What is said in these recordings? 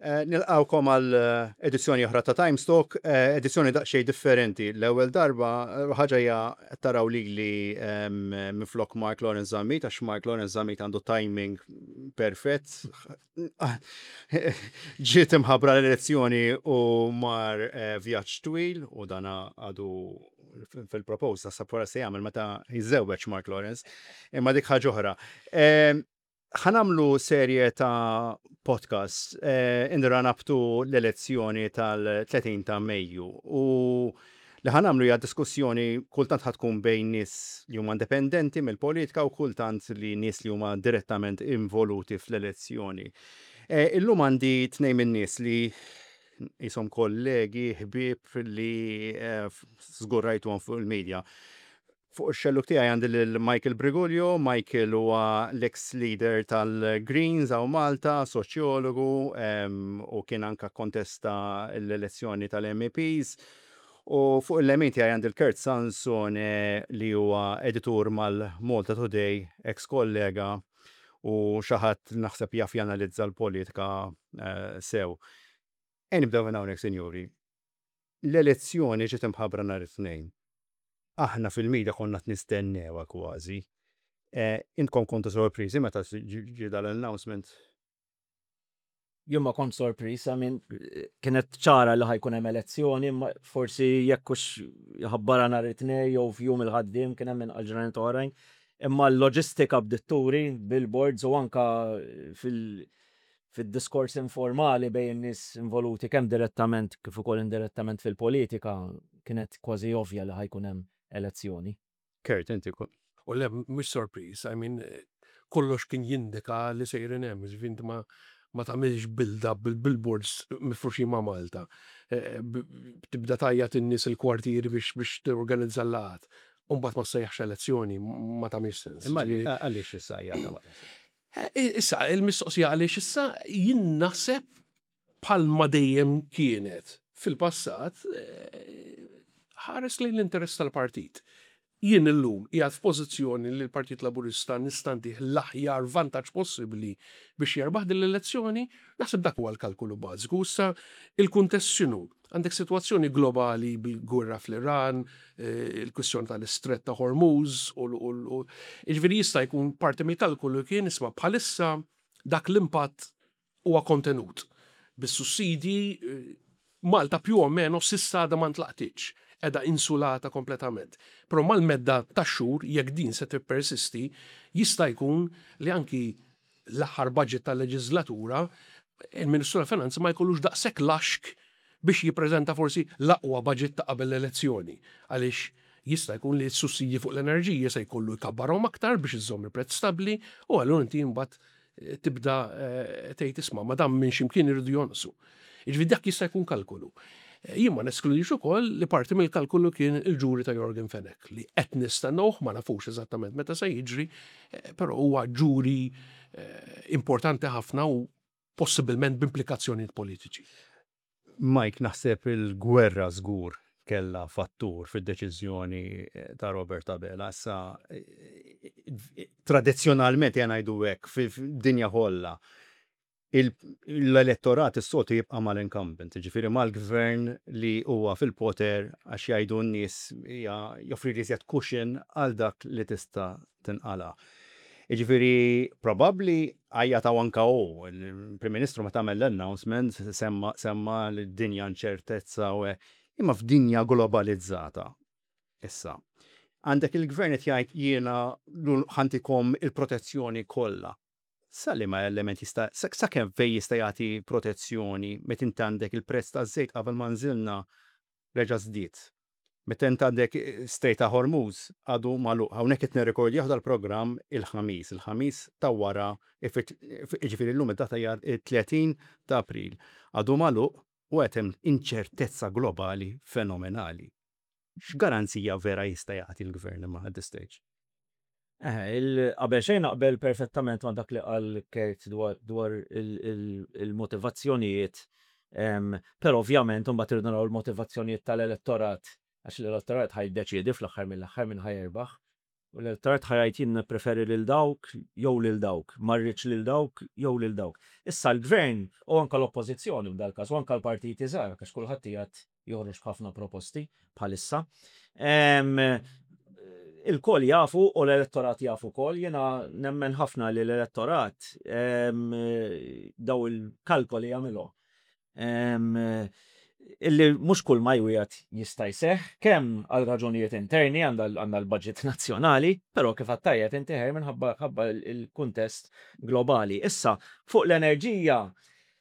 Nilqgħukom għal edizzjoni oħra ta' Times Talk, edizzjoni daqsxejn differenti. L-ewwel darba, ħaġa hija qed taraw lili minflok Mark Lawrence Zammit, għax Mark Lawrence Zammit għandu timing perfett. Ġiet imħabbra l-elezzjoni u mar vjaġġ twil u dan għadu fil-proposta sa se jagħmel meta jiżżewweġ Mark Lawrence. Imma dik ħaġa oħra. Ħa nagħmlu serje ta' podcasts in the run up to l-elezzjoni tal-30 ta' Mejju u li ħa nagħmlu hija diskussjoni kultant ħa tkun bejn nies li huma indipendenti mill-politika u kultant li nies li huma direttament involuti fl-elezzjoni. Illum għandi tnejn min-nies li qishom kollegi, ħbieb li żgur rajtuhom fuq il-media. Fuq ix-xellug tiegħi għandi lil Michael Briguglio. Michael huwa l-ex leader tal-Greens hawn Malta, soċjologu u kien anke kkontesta l-elezzjoni tal-MEPs. U fuq il-lemin tiegħi għandi l-Kurt Sansone li huwa editur mal-Malta Today, ex kollega u xi ħadd li naħseb jaf janalizza l-politika sew. Ejja nibdew minn hawnhekk, sinjuri. L-elezzjoni ġiet imħabbra nhar it-Tnejn. Aħna fil-media konna qed nistennewha kważi. Intkom kontu sorpriżi meta ġie dal-announcement? Jien ma kontx sorpriż, I mean, kienet ċara li ħa jkun hemm elezzjoni, imma forsi jekk hux jħabbarha nhar it-Tnejn jew f'jum il-ħaddiem kien hemm inqas ġranet oħrajn. Imma l-loġistika bdiet turi, billboards u anke fil- fid-diskors informali bejn in-nies involuti kemm direttament kif ukoll indirettament fil-politika kienet kważi ovvja li ħa jkun hemm elezzjoni. Kurt, inti kont. U le, mhux sorpriż, I mean, kollox kien jindika li sejrin hemm, jiġifieri inti ma ma tagħmilx build-up bil-billboards mifruxin ma' Malta. Tibda tgħajjat in-nies il-kwartieri biex biex torganizza l-laqgħat. U mbagħad ma ssejjaħx elezzjoni, ma tagħmilx sens. Imma għaliex issa hija ta' Issa, il-mistoqsija għaliex issa, jien naħseb bħalma dejjem kienet fil-passat, ħares lejn l-interess tal-partit. Jien illum qiegħed f'pożizzjoni li l-Partit Laburista nista' ntih l-aħjar vantaġġ possibbli biex jerbaħ din l-elezzjoni, naħseb dak huwa l-kalkolu bażiku. Issa, il-kuntest x'inhu? Għandek sitwazzjoni globali bil-gwerra fl-Iran, il-kwistjoni tal-Istrett ta' Hormuz u jiġifieri jista' jkun parti mill-kalkolu kien isma' bħalissa dak l-impatt huwa kontenut. Bis-sussidji Malta più o meno s'issa għadha ma ntlaqtitx, qiegħda insulata kompletament. Però mal-medda tax-xhur jekk din se tippersisti jista' jkun li anki l-aħħar budget tal-leġiżlatura, il-Ministru tal-Finanzi ma jkollux daqshekk laxk biex jippreżenta forsi l-aqwa budget ta' qabel l-elezzjoni. Għaliex jista' jkun li s-sussidji fuq l-enerġija se jkollu jkabbarhom aktar biex iżomm il-prezz stabbli u allura inti imbagħad tibda tgħid isma' ma dan minn x'imkien iridu jonqsu. Jiġifieri dak jista' jkun kalkolu. Jien ma neskludix ukoll li parti mill-kalkolu kien il-ġuri ta' Yorgen Fenech li qed nistennewh, ma nafux eżattament meta se jiġri, però huwa ġuri importanti ħafna u possibilment b'implikazzjonijiet politiċi. Mike, naħseb il-gwerra żgur kellha fattur fid-deċiżjoni ta' Robert Abela. Issa, tradizzjonalment, ejja ngħidu hekk, fid-dinja kollha, l-elettorat is-soltu jibqa' mal-incumbent, jiġifieri mal-gvern li huwa fil-poter għax jgħidu n-nies hija joffri iżjed cushion għal dak li tista' tinqala'. Jiġifieri probabbli għajjat hawn anke hu, il-Prim Ministru meta għamel l-announcement semma semma d-dinja inċertezza u hekk. Imma f'dinja globalizzata issa, għandek il-gvern qed jgħid jiena ħa ntikom il-protezzjoni kollha. Sa liema element jista' sa kemm fejn jista' jagħti protezzjoni meta inti għandek il-prezz taż-żejt qabel ma nżilna reġa' żdied. Meta int għandek Strait ta' Hormuz għadu magħluq. Hawnhekk qed nirrekordjah dal-programm il-Ħamis, il-Ħamis ta' wara jiġifieri llum id-data hija t-30 ta' April. Għadu magħluq u qed hemm inċertezza globali fenomenali. X'garanzija vera jista' jagħti l-Gvern imma at this stage? Qabel xejn naqbel perfettament ma' dak li qal Kurt dwar il-motivazzjonijiet, però ovvjament imbagħad irridu naraw il-motivazzjonijiet tal-elettorat għax l-elettorat ħa jiddeċiedi fl-aħħar mill-aħħar min ħa jirbaħ. U l-elettorat ħa jgħid jien nippreferi lil dawk jew lil dawk, ma rridx lil dawk jew lil dawk. Issa l-Gvern u anke l-Oppożizzjoni f'dal-każ u anke l-partiti żgħar għax kulħadd qiegħed joħroġ b'ħafna proposti bħalissa. Ilkoll jafu u l-elettorat jaf ukoll, jiena nemmen ħafna li l-elettorat daw il-kalkoli jagħmilhom. Illi mhux kull ma jwiegħed jista' jseħħ, kemm għal raġunijiet interni għandna l-budget nazzjonali, però kif għedt tajjeb inti Herman ħabba l-kuntest globali. Issa, fuq l-enerġija,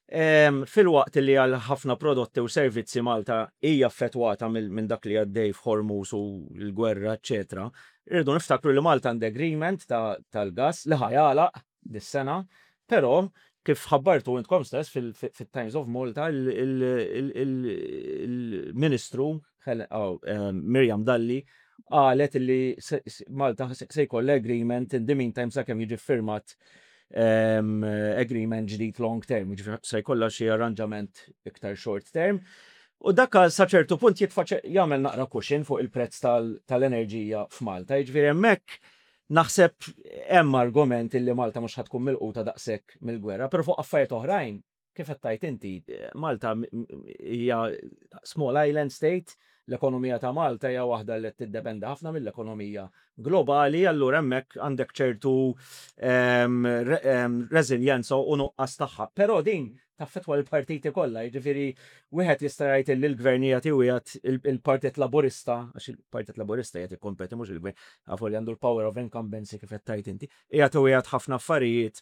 Filwaqt li għal ħafna prodotti u servizzi Malta hija affettwata minn dak li għaddej f'Hormuz u l-gwerra eċċetera, irridu niftakru li Malta għandha agreement tal-gass li ħa jagħlaq dis-sena, però kif ħabbartu intkom stess fit-Times of Malta il-Ministru Miriam Dalli qalet li Malta se jkollha agreement in the meantime sakemm jiġi ffirmat agreement ġdid long term, jiġifieri se jkollha xi arranġament iktar short term. U dak sa ċertu punt jitfa' jagħmel naqra cushion fuq il-prezz tal-enerġija f'Malta. Jiġifieri hemmhekk naħseb hemm argument illi Malta mhux ħa tkun milquta daqshekk mill-gwerra, però fuq affarijiet oħrajn Kif qed tgħid inti, Malta hija small island state, l-ekonomija ta' Malta hija waħda li qed tiddependi ħafna mill-ekonomija globali, allura hemmhekk għandek ċertu reżiljenza u nuqqas tagħha. Però din taffettwa lill-partiti kollha, jiġifieri wieħed jista' jgħid illi l-Gvern qiegħed iwiegħed il-Partit Laburista, għax il-Partit Laburista qiegħed jikkompeti mhux il-Gvern, avolja għandu l-power of incumbency kif qed tgħid inti, qiegħed iwiegħed ħafna affarijiet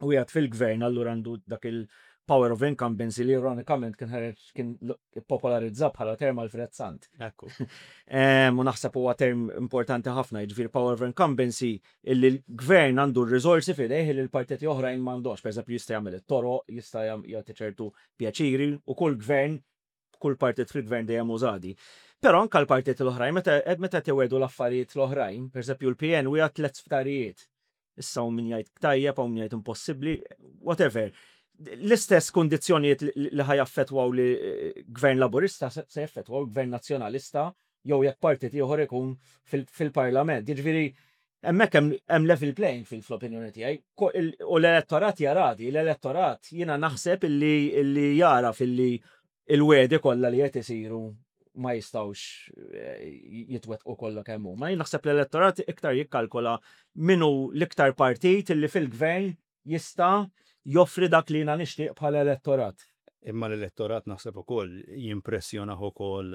u qiegħed fil-gvern allura għandu dak il-power of incumbency li ironikament kien ħareġ kien ippopolarizza bħala term Alfred Sant. Ekku. U naħseb huwa term importanti ħafna, jiġifieri power of incumbency illi l-gvern għandu r-riżorsi f'idejh illi l-partiti oħrajn m'għandhomx. Pereżempju jista' jagħmel it-toroq, jista' jagħti ċertu pjaċiri u kull gvern kull partit fil-gvern dejjem użadi. Però anke l-partiti l-oħrajn meta meta qed iwegħdu l-affarijiet l-oħrajn, pereżempju l-PN wiegħed tlett sptarijiet. Issa hawn min jgħid tajjeb, hawn min jgħid impossibbli, whatever. L-istess kundizzjonijiet li ħa jaffettwaw li gvern Laburista se jaffettwaw gvern Nazzjonalista jew jekk partit ieħor ikun fil-Parlament. Jiġifieri hemmhekk hemm level playing field fl-opinjoni tiegħi. U l-elettorat jara di, l-elettorat jiena naħseb illi jara filli il-wegħdi kollha li qed isiru ma jistgħux jitwettqu kollha kemm huma. Jien naħseb l-elettorat iktar jikkalkola min hu l-iktar partit illi fil-gvern jista' joffri dak li jiena nixtieq bħala elettorat. Imma l-elettorat naħseb ukoll jimpressjonah ukoll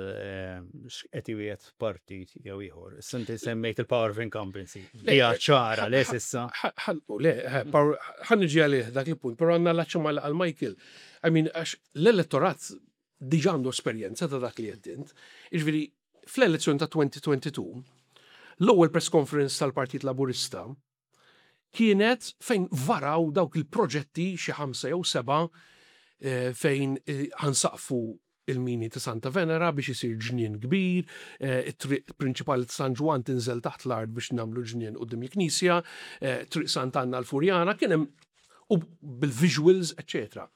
x'qed iwiegħed partit jew ieħor. Issa inti semmejt il-power of incumbency. Hija ċara le s'issa. Le, ħa niġi għalih dak il-punt, però għandna l-aċċa ma' għal Michael. I mean, għax l-elettorat diġà għandu esperjenza ta' dak li qed int. Jiġifieri, fl-elezzjoni ta' 2022, l-ewwel press conference tal-Partit Laburista kienet fejn varaw dawk il-proġetti xi ħamsa jew sebgħa fejn ħansaqfu il-mini ta' Santa Venera biex isir ġnien kbir, it-triq prinċipali ta' San Ġwann tinżel taħt l-art biex nagħmlu ġnien quddiem il-knisja, triq Sant'Anna l-Furjana, kien hemm u bil-visuals, eċċetera.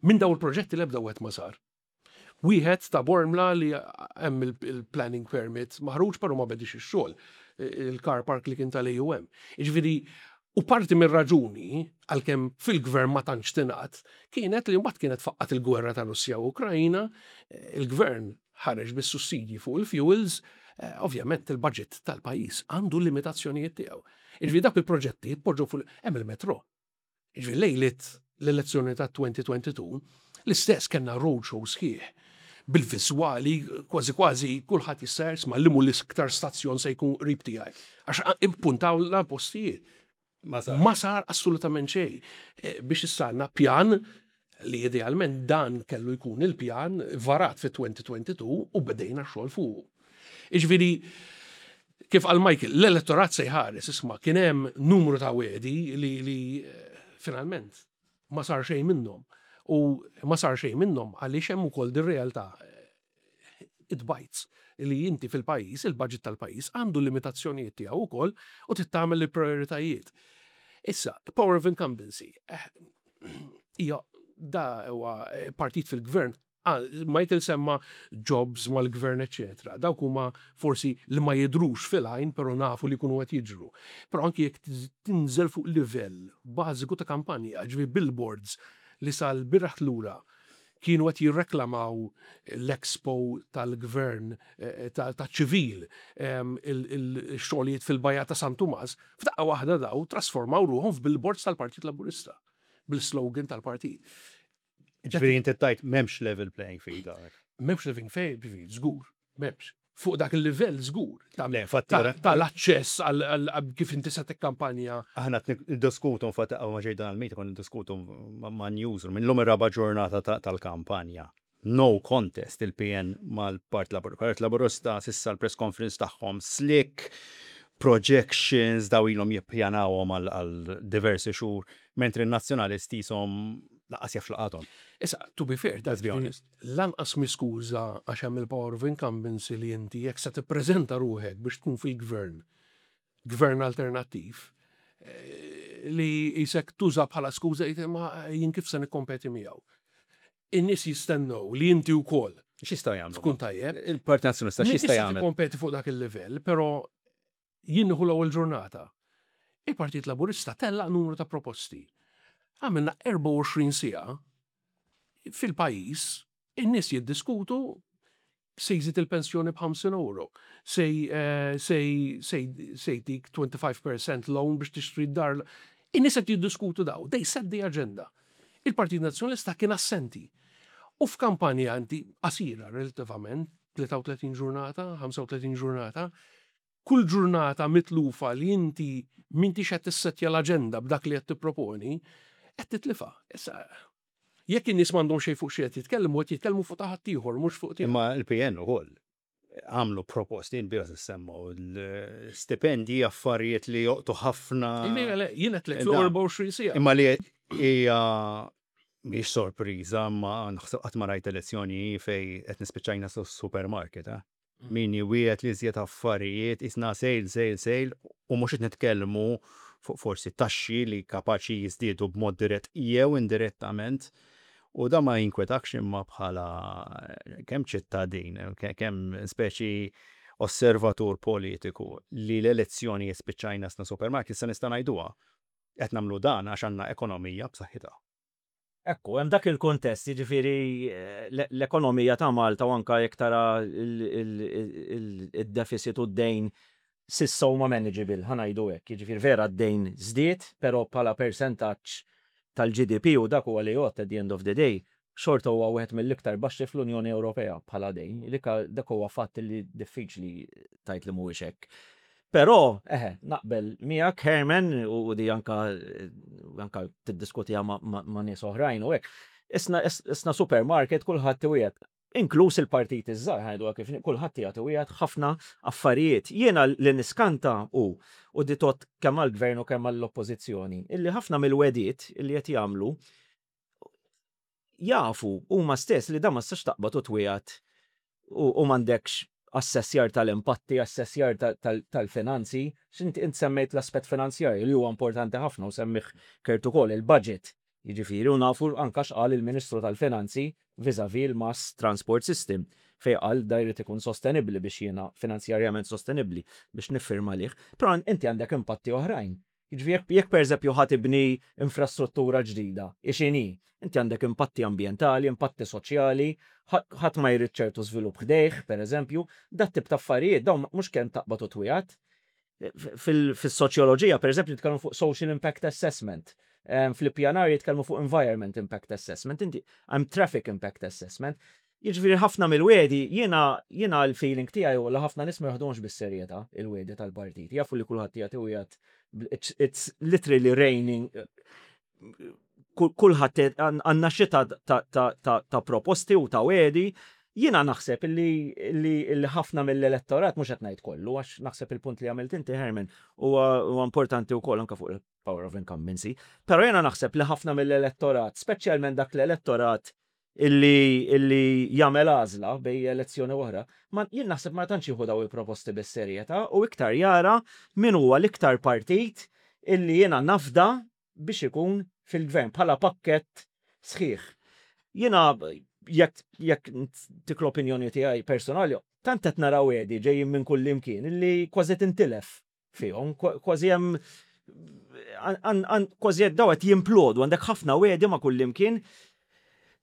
Minn dawn il-proġetti l-ebda wieħed ma sar. Wieħed ta' Bormla li hemm il-planning permit maħruġ però ma bedix ix-xogħol, il-car park li kien tal-AUM. Jiġifieri, u parti mir-raġuni, għalkemm fil-gvern ma tantx tingħad, kienet li mbagħad kienet faqqgħet il-gwerra ta' Russja u Ukrajna, il-gvern ħareġ bis-sussidji fuq il-fuels, ovvjament il-budget tal-pajjiż għandu l-limitazzjonijiet tiegħu. Jiġifieri dawk il-proġetti tpoġġew fuq hemm il-metro. Jiġifieri lejliet l-elezzjoni ta' 2022, l-istess kellna roadshow sħiħ bil-viżwali kważi kważi kulħadd jista' jisma' li mhu l-iktar stazzjon se jkun qrib tiegħi. Għax impuntawlna postijiet. Ma sar assolutament xejn. Biex issa għandna pjan li idealment dan kellu jkun il-pjan varat fit-2022 u bdejna x-xogħol fuqu. Jiġifieri, kif qal Michael, l-elettorat se jħares, isma' kien hemm numru ta' wegħdi li, li finalment ma sar xejn minnhom. U ma sar xejn minnhom għaliex hemm ukoll dir-realtà it bites li inti fil-pajjiż, il-budget tal-pajjiż għandu limitazzjonijiet tiegħu wkoll u trid tagħmel il-prioritajiet. Issa, power of incumbency, hija da huwa partit fil-gvern. Ah, Michael semma jobs mal-gvern, eccetera. Dawk huma forsi li ma jidhrux fil-għajn, però nafu li jkunu qed jiġru. Però anki jekk tinżel fuq livell bażiku ta' kampanja, ġifieri billboards li sal-bieraħ lura kienu qed jirreklamaw l-expo tal-gvern ta' ċivil, il-xogħlijiet fil-bajja ta' San Tumas, f'daqqa waħda daw trasformaw ruħhom f'billboards tal-Partit Laburista bil-slogan tal-partit. Ġifieri inti tgħid m'hemmx level playing field hawnhekk. M'hemmx level playing field, żgur, m'hemmx. Fuq dak il-livell żgur. Le, infatti Tal-aċċess għal kif inti se tikkampanja. Aħna qed niddiskutu infatti qabel ma ġejt dan il-meeting konna niddiskutu ma' newsroom illum ir-raba' ġurnata tal-kampanja. No contest il-PN mal-Partit Laburista. Partit Laburista s'issa l-press conference tagħhom slick, projections daw ilhom jippjanawhom għal diversi xhur, mentri n-Nazzjonalisti qishom lanqas jaf x'laqathom. Issa, to be fair, Let's be honest. Lanqas mi skuża għax hemm il-power of incumbency li inti jekk se tippreżenta ruħek biex tkun fil-gvern, gvern alternattiv, li jisek tuża bħala skuża jgħid ma jien kif se nikkompeti miegħu. In-nies jistennew li inti wkoll X'jistgħu jagħmlu? tkun tajjeb. Il-Partit Nazzjonalista x'jista' jagħmel? Tikkompeti fuq dak il-livell, però jien nieħu l-ewwel ġurnata. Il-Partit Laburista tellaq numru ta' proposti. Għamilna 24 siegħa fil-pajjiż, in-nies jiddiskutu se jżid il-pensjoni b'50 euro, se se jtik 25% loan biex tixtri d-dar. In-nies qed jiddiskutu daw, they set the agenda. Il-Partit Nazzjonalista kien assenti. U f'kampanja inti qasira relativament, 33 ġurnata, 35 ġurnata, kull ġurnata mitlufa li inti m'intix qed tissettja l-aġenda b'dak li qed tipproponi, qed titlifa. Issa, jekk in-nies m'għandhom xejn fuq xi qed jitkellmu, qed jitkellmu fuq ta' ħaddieħor, mhux fuq tiegħek. Imma l-PN ukoll għamlu proposti l-bieraħ semmu l-stipendji, affarijiet li joqtu ħafna. Le, jien qed lek fl-24 siegħa. Imma li hija mhix sorpriża, ma naħseb qatt ma rajt elezzjoni fejn qed nispiċċajna supermarket, eh? Min jwiegħed li iżjed affarijiet, isna sale, sale, sale, u mhux qed nitkellmu fuq forsi taxxi li kapaċi jiżdiedu b'mod dirett jew indirettament. U da ma jinkwetakx imma bħala kemm ċittadin, kemm speċi osservatur politiku li l-elezzjoni jispiċċajna sna supermarket, sa nista' ngħiduha. Qed nagħmlu dan għax għandna ekonomija b'saħħitha. Ekku, hemm dak il-kuntest, jiġifieri l-ekonomija ta' Malta u anka jekk tara il-deficit u d-dejn s'issa huma manageable, ħa ngħidu hekk. Jiġifieri vera d-dejn żdied, però bħala percentaġġ tal-GDP u dak huwa li jgħodd at the end of the day, xorta huwa wieħed mill-iktar baxxi fl-Unjoni Ewropea bħala dejn. Dak huwa fatt li diffiċli tgħid li mhuwiex hekk. Però, eħe, naqbel miegħek Herman u di anka anka tiddiskutiha ma' nies oħrajn u hekk. Isna supermarket kulħadd iwiegħed. Inkluż il-partit iż-żgħar ħajdu kif kulħadd jagħti wieħed ħafna affarijiet. Jiena li niskanta u di tot kemm għall-gvern u kemm għall-oppożizzjoni, illi ħafna mill-wegħdiet illi qed jagħmlu jafu huma stess li dan ma tistax taqbad u twiegħed u m'għandekx assessjar tal-impatti, assessjar tal-finanzi. X'inti int semmejt l-aspett finanzjarju li huwa importanti ħafna u semmih Kurt ukoll il-budget. Jiġifieri u nafu anka x'qal il-Ministru tal-Finanzi vis-a-vis il-Mass Transport System fejn qal da jrid ikun sostenibbli biex jiena finanzjarjament sostenibbli biex niffirma lih. Però inti għandek impatti oħrajn. Jiġifieri jekk pereżempju ħa tibni infrastruttura ġdida, ixini, inti għandek impatti ambjentali, impatti soċjali, ħadd ma jrid ċertu żvilupp ħdejh, pereżempju, dat tip ta' affarijiet dawn mhux kemm taqbad u twiegħed. Fis-soċjoloġija, pereżempju, nitkellmu fuq social impact assessment. Fl-ippjanar jitkellmu fuq environment impact assessment, inti hemm traffic impact assessment. Jiġifieri ħafna mill-wegħdi, jiena l-feeling tiegħi u li ħafna nies ma joħduhomx bis-serjetà il-wegħdi tal-partit. Jafu li kulħadd jagħti u jgħid it's literally raining. Kulħadd għandna xita ta' proposti u ta' wegħdi. Jiena naħseb li ħafna mill-elettorat, mhux qed ngħid kollu, għax naħseb il-punt li għamilt inti Herman huwa importanti wkoll anke fuq il-power of incumbency, però jiena naħseb li ħafna mill-elettorat, speċjalment dak l-elettorat illi jagħmel għażla bejn elezzjoni oħra, ma jien naħseb ma tantx jieħu daw il-proposti bis-serjetà u iktar jara min huwa l-iktar partit illi jiena nafda biex ikun fil-gvern bħala pakkett sħiħ. Jiena Jekk jekk tik l-opinjoni tiegħi personali, tant qed naraw wegħdi ġejjin minn kull imkien illi kważi tintilef fihom, kważi hemm kważi qed daw qed jimplodu, għandek ħafna wegħdi ma' kull imkien.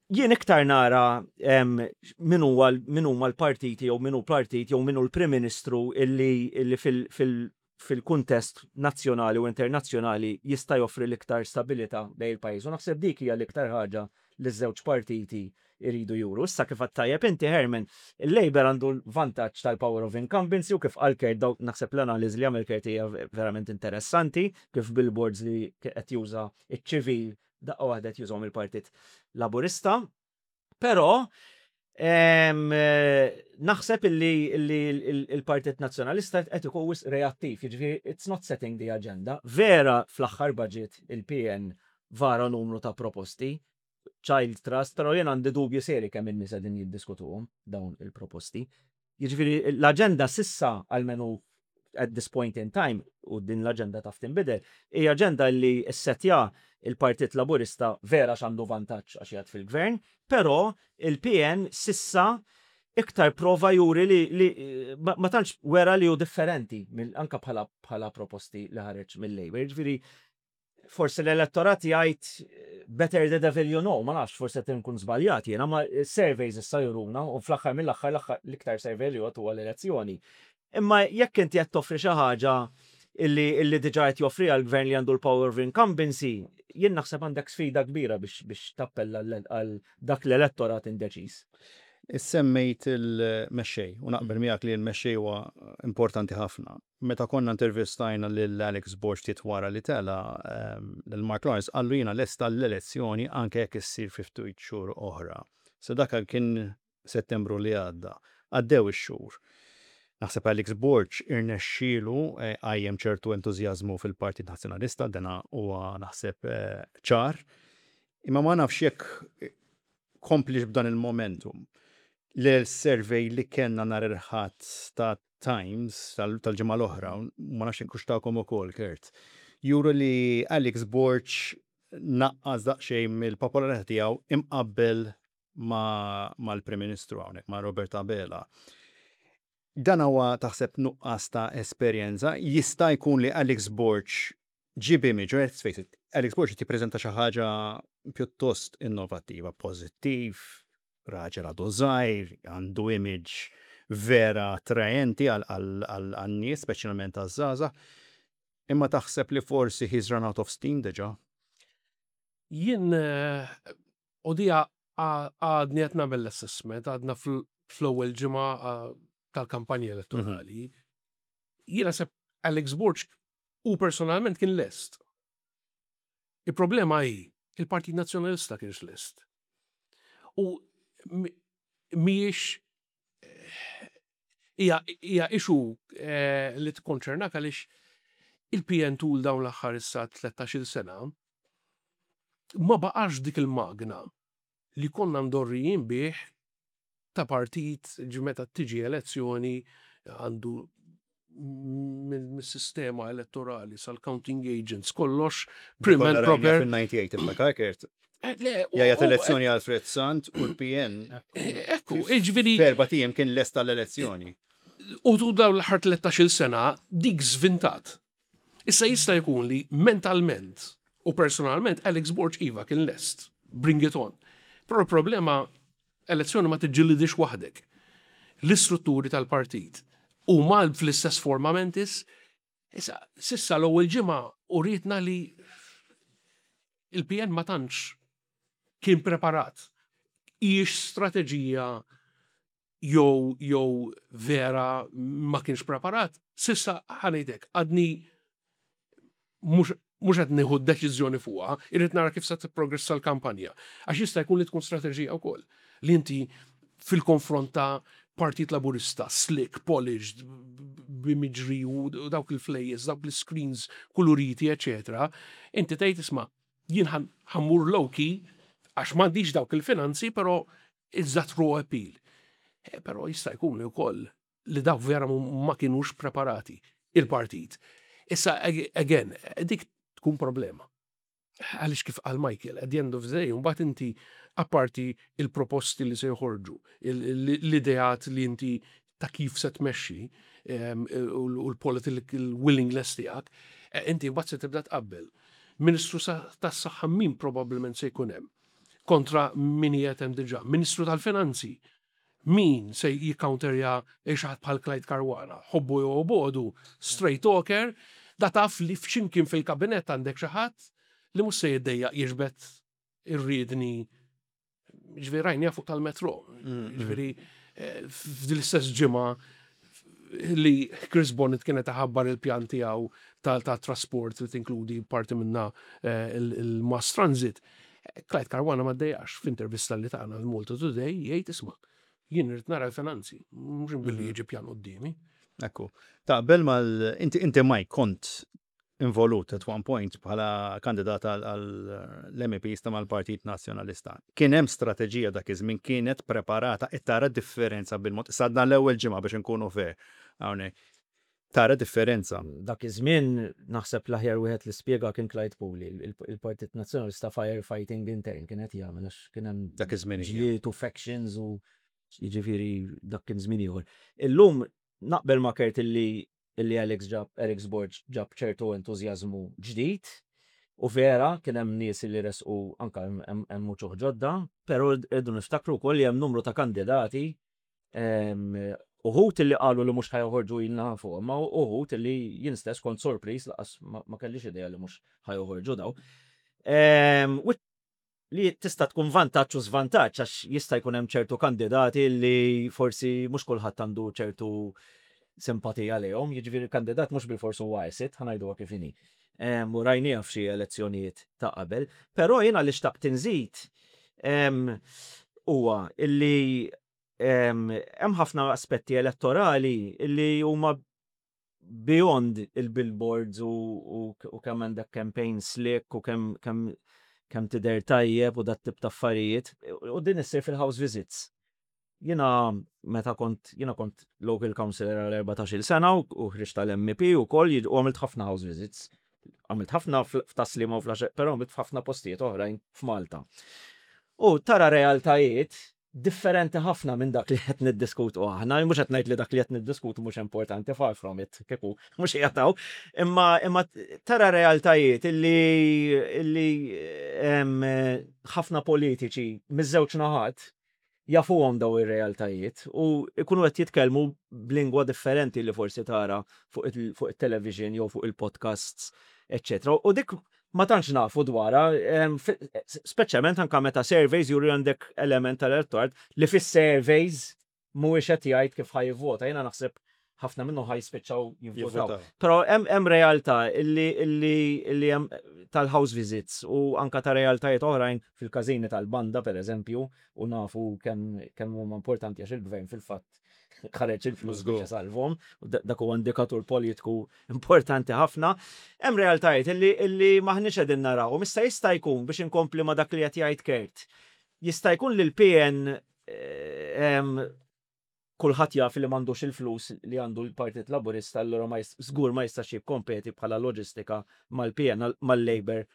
Jien iktar nara min huwa min huma l-partiti jew min hu partit jew min hu l-Prim Ministru illi illi fil fil fil-kuntest nazzjonali u internazzjonali jista' joffri l-iktar stabilità lejn il-pajjiż u naħseb dik hija l-iktar ħaġa li ż-żewġ partiti jridu juru. Issa kif għedt tajjeb inti Herman, il-Labour għandu l-vantaġġ tal-power of incumbency u kif qal Kurt dawn naħseb l-analiżi li għamel Kurt hija verament interessanti kif billboards li qed juża ċ-ċivil daqqa waħda qed jużahom il-Partit Laburista. Però naħseb illi il-Partit Nazzjonalista qed ikun wisq reattiv, jiġifieri it's not setting the agenda. Vera fl-aħħar budget il-PN vara numru ta' proposti, child trust, però jien għandi dubji seri kemm in-nies qegħdin jiddiskutuhom dawn il-proposti. Jiġifieri l-aġenda s'issa, almenu at this point in time, u din l-aġenda taf tinbidel, hija aġenda li ssettja l-Partit Laburista vera għax għandu vantaġġ għax qiegħed fil-Gvern, però il-PN s'issa iktar prova juri li li ma tantx wera li hu differenti anke bħala bħala proposti li ħareġ mil-Labour. Jiġifieri Forsi l-elettorat jgħid better the devil you know, ma nafx, forsi qed inkun żbaljat jiena, ma surveys issa juruna u fl-aħħar mill-aħħar l-iktar survey li jgħodd huwa l-elezzjoni. Imma jekk inti qed toffri xi ħaġa illi illi diġà qed joffriha l-gvern li għandu l-power of incumbency, jien naħseb għandek sfida kbira biex biex tappella għal dak l-elettorat indeċiż. Semmejt il-mexxej u naqbel miegħek li l-mexxej huwa importanti ħafna. Meta konna intervistajna lil Alex Borg ftit wara li tela', lil Mark Lawrence qallu jiena lest għall-elezzjoni anke jekk issir fi ftit xhur oħra. So dak kien Settembru li għadda. Għaddew ix-xhur. Naħseb Alex Borg irnexxielu qajjem ċertu entużjażmu fil-Partit Nazzjonalista, dana huwa naħseb ċar. Imma ma nafx jekk kompliex b'dan il-momentum. L-survey li kellna nhar il-Ħadd ta' Times tal-ġimgħa l-oħra, ma nafx jekk hux tagħkom ukoll, Kurt, juru li Alex Borg naqqas daqsxejn mill-popolarità tiegħu imqabbel mal-Prim Ministru hawnhekk, ma' Robert Abela. Dan huwa taħseb nuqqas ta' esperjenza? Jista' jkun li Alex Borg ġie b'image, let's face it, Alex Borg qed jippreżenta xi ħaġa pjuttost innovattiva, pożittiv, raġel għadu żgħir, għandu image vera attraenti għan-nies, speċjalment għaż-żgħażagħ. Imma taħseb li forsi he's run out of steam diġà? Jien u dija għadni qed nagħmel l-assessment, għadna fl-ewwel ġimgħa tal-kampanja elettorali. Jien naħseb Alex Borg hu personalment kien lest. Il-problema hi, il-Partit Nazzjonalista kienx lest. U mhijiex hija hija issue eh, li tikkonċernak għaliex il-PN tul dawn l-aħħar issa 13-il sena ma baqax dik il-magna li konna mdorrijin bih ta' partit ġi meta tiġi elezzjoni għandu mis-sistema elettorali sal-counting agents kollox prim and proper. Fil-98 tiftakar Kurt. Eh, Jajat elezzjoni Alfred Sant u l-PN. Eh, ekku, ġifieri. Ferba tijem kien lest tal-elezzjoni. U tu dawn l-aħħar 13-il sena dik żvintat. Issa jista' jkun li mentalment u personalment Alex Borg iva kien lest. Bring it on. Però l-problema elezzjoni ma tiġġilidix waħdek. L-istrutturi tal-partit huma fl-istess forma mentis. Issa, sissa l-ewwel ġimgħa urietna li il-PN ma tantx kien preparat. Hijiex strateġija jew jew vera ma kienx preparat, sissa ħa ngħidlek, għadni mhux mhux qed nieħu deċiżjoni fuqha, irrid nara kif se tipprogressa l-kampanja. Għax jista' jkun li tkun strateġija wkoll li inti fil-konfront ta' Partit Laburista, slick, polished, b'imiġri u dawk il-flejjes, dawk l-screens kuluriti, eċetera, inti tgħid isma' jien ħa mmur low key għax m'għandix dawk il-finanzi, però it's that raw appeal. Eh, però jista' jkun li wkoll li dawk vera ma kienux preparati il-partit. Issa, again, dik tkun problema. Għaliex kif qal Michael, at the end of the day, mbagħad inti apparti il-proposti li se joħorġu, l-ideat li inti ta' kif se tmexxi u l-political willingness tiegħek, inti mbagħad se tibda tqabbel. Ministru tas-Saħħa min probabbilment se jkun hemm kontra min qiegħed hemm diġà. Ministru tal-Finanzi min se jikkawnterja xi ħadd bħal Clyde Caruana, ħobbu jew obogħdu, straight talker, da taf li f'ximkien fil-kabinett għandek xi ħadd li mhux se jiddejjaq jiġbed ir-riedni ġifieri rajniha fuq tal-metro. Ġifieri f'din l-istess ġimgħa li Chris Bonnet kienet iħabbar il-pjan tiegħu ta' trasport li tinkludi parti minna il-mass transit. Clyde Caruana ma ddejjax f'intervista li tagħna l-Malta Today jgħid isma' jien irid nara l-finanzi, mhux billi jiġi pjan quddiemi. Ekku. Taqbel mal inti inti Mike kont involut at one point bħala kandidat għall-MEPs ta' mal-Partit Nazzjonalista. Kien hemm strateġija dak iż-żmien kienet preparata qed tara differenza bil-mod. Issa għadna l-ewwel ġimgħa biex inkunu fair hawnhekk. Tara differenza. Dak iż-żmien naħseb l-aħjar wieħed li spjega kien Clyde Puli, il-Partit Nazzjonalista firefighting intern kien qed jagħmel għax kien hemm Dak iż-żmien hija. ġlied u factions u jiġifieri dak kien żmien ieħor. Illum naqbel ma' Kurt illi illi Alex ġab, Alex Borg ġab ċertu entużjażmu ġdid u vera kien hemm nies li resqu anke hemm uċuħ ġodda, però rridu niftakru wkoll li hemm numru ta' kandidati uħud illi qalu li mhux ħa joħorġu ilna nafuhom, ma uħud illi jien stess kont sorpriż lanqas ma kellix idea li mhux ħa joħorġu dawn. Li tista' tkun vantaġġ u żvantaġġ għax jista' jkun hemm ċertu kandidati li forsi mhux kulħadd għandu ċertu simpatija lejhom, jiġifieri l-kandidat mhux bilfors huwa asset, ħa ngħiduha kif inhi. U rajniha f'xi elezzjonijiet ta' qabel. Però jiena li xtaqt inżid huwa illi hemm ħafna aspetti elettorali illi huma beyond il-billboards u kemm għandek campaign slick u kemm kemm kemm tidher tajjeb u dat tip ta' affarijiet. U din issir fil-house visits. Jiena meta kont jiena kont local councillor għal 14-il sena u ħriġt tal-MEP ukoll u għamilt ħafna house visits. Għamilt ħafna f'Tas-Sliema u fl-Għaxaq, però għamilt f'ħafna postijiet oħrajn f'Malta. U tara realtajiet differenti ħafna minn dak li qed niddiskutu aħna. Mhux qed ngħid li dak li qed niddiskutu mhux importanti, far from it, kieku mhux qiegħed hawn. Imma imma tara realtajiet illi illi ħafna politiċi miż-żewġ naħat jafuhom daw ir-realtajiet u jkunu qed jitkellmu b'lingwa differenti li forsi tara fuq it-television jew fuq il-podcasts, eċċetera. U dik ma tantx nafu dwarha, speċjalment anke meta surveys juru għandek element tal-elettorat li fis-surveys mhuwiex qed jgħid kif ħa jivvota. Jiena naħseb ħafna minnhom ħa jispiċċaw jivvotaw. Però hemm realtà illi illi hemm tal-house visits u anke ta' realtajiet oħrajn fil-każini tal-banda pereżempju u nafu kemm kemm huma importanti għax il-gvern fil-fatt ħareġ il-flus biex isalvhom, dak huwa indikatur politiku importanti ħafna. Hemm realtajiet illi illi m'aħniex qegħdin narawhom. Issa jista' jkun biex inkompli ma' dak li qed jgħid Kurt. Jista' jkun li l-PN kulħadd jaf li m'għandux il-flus li għandu l-Partit Laburista allura ma żgur ma jistax jikkompeti bħala loġistika mal-PN mal-Labour.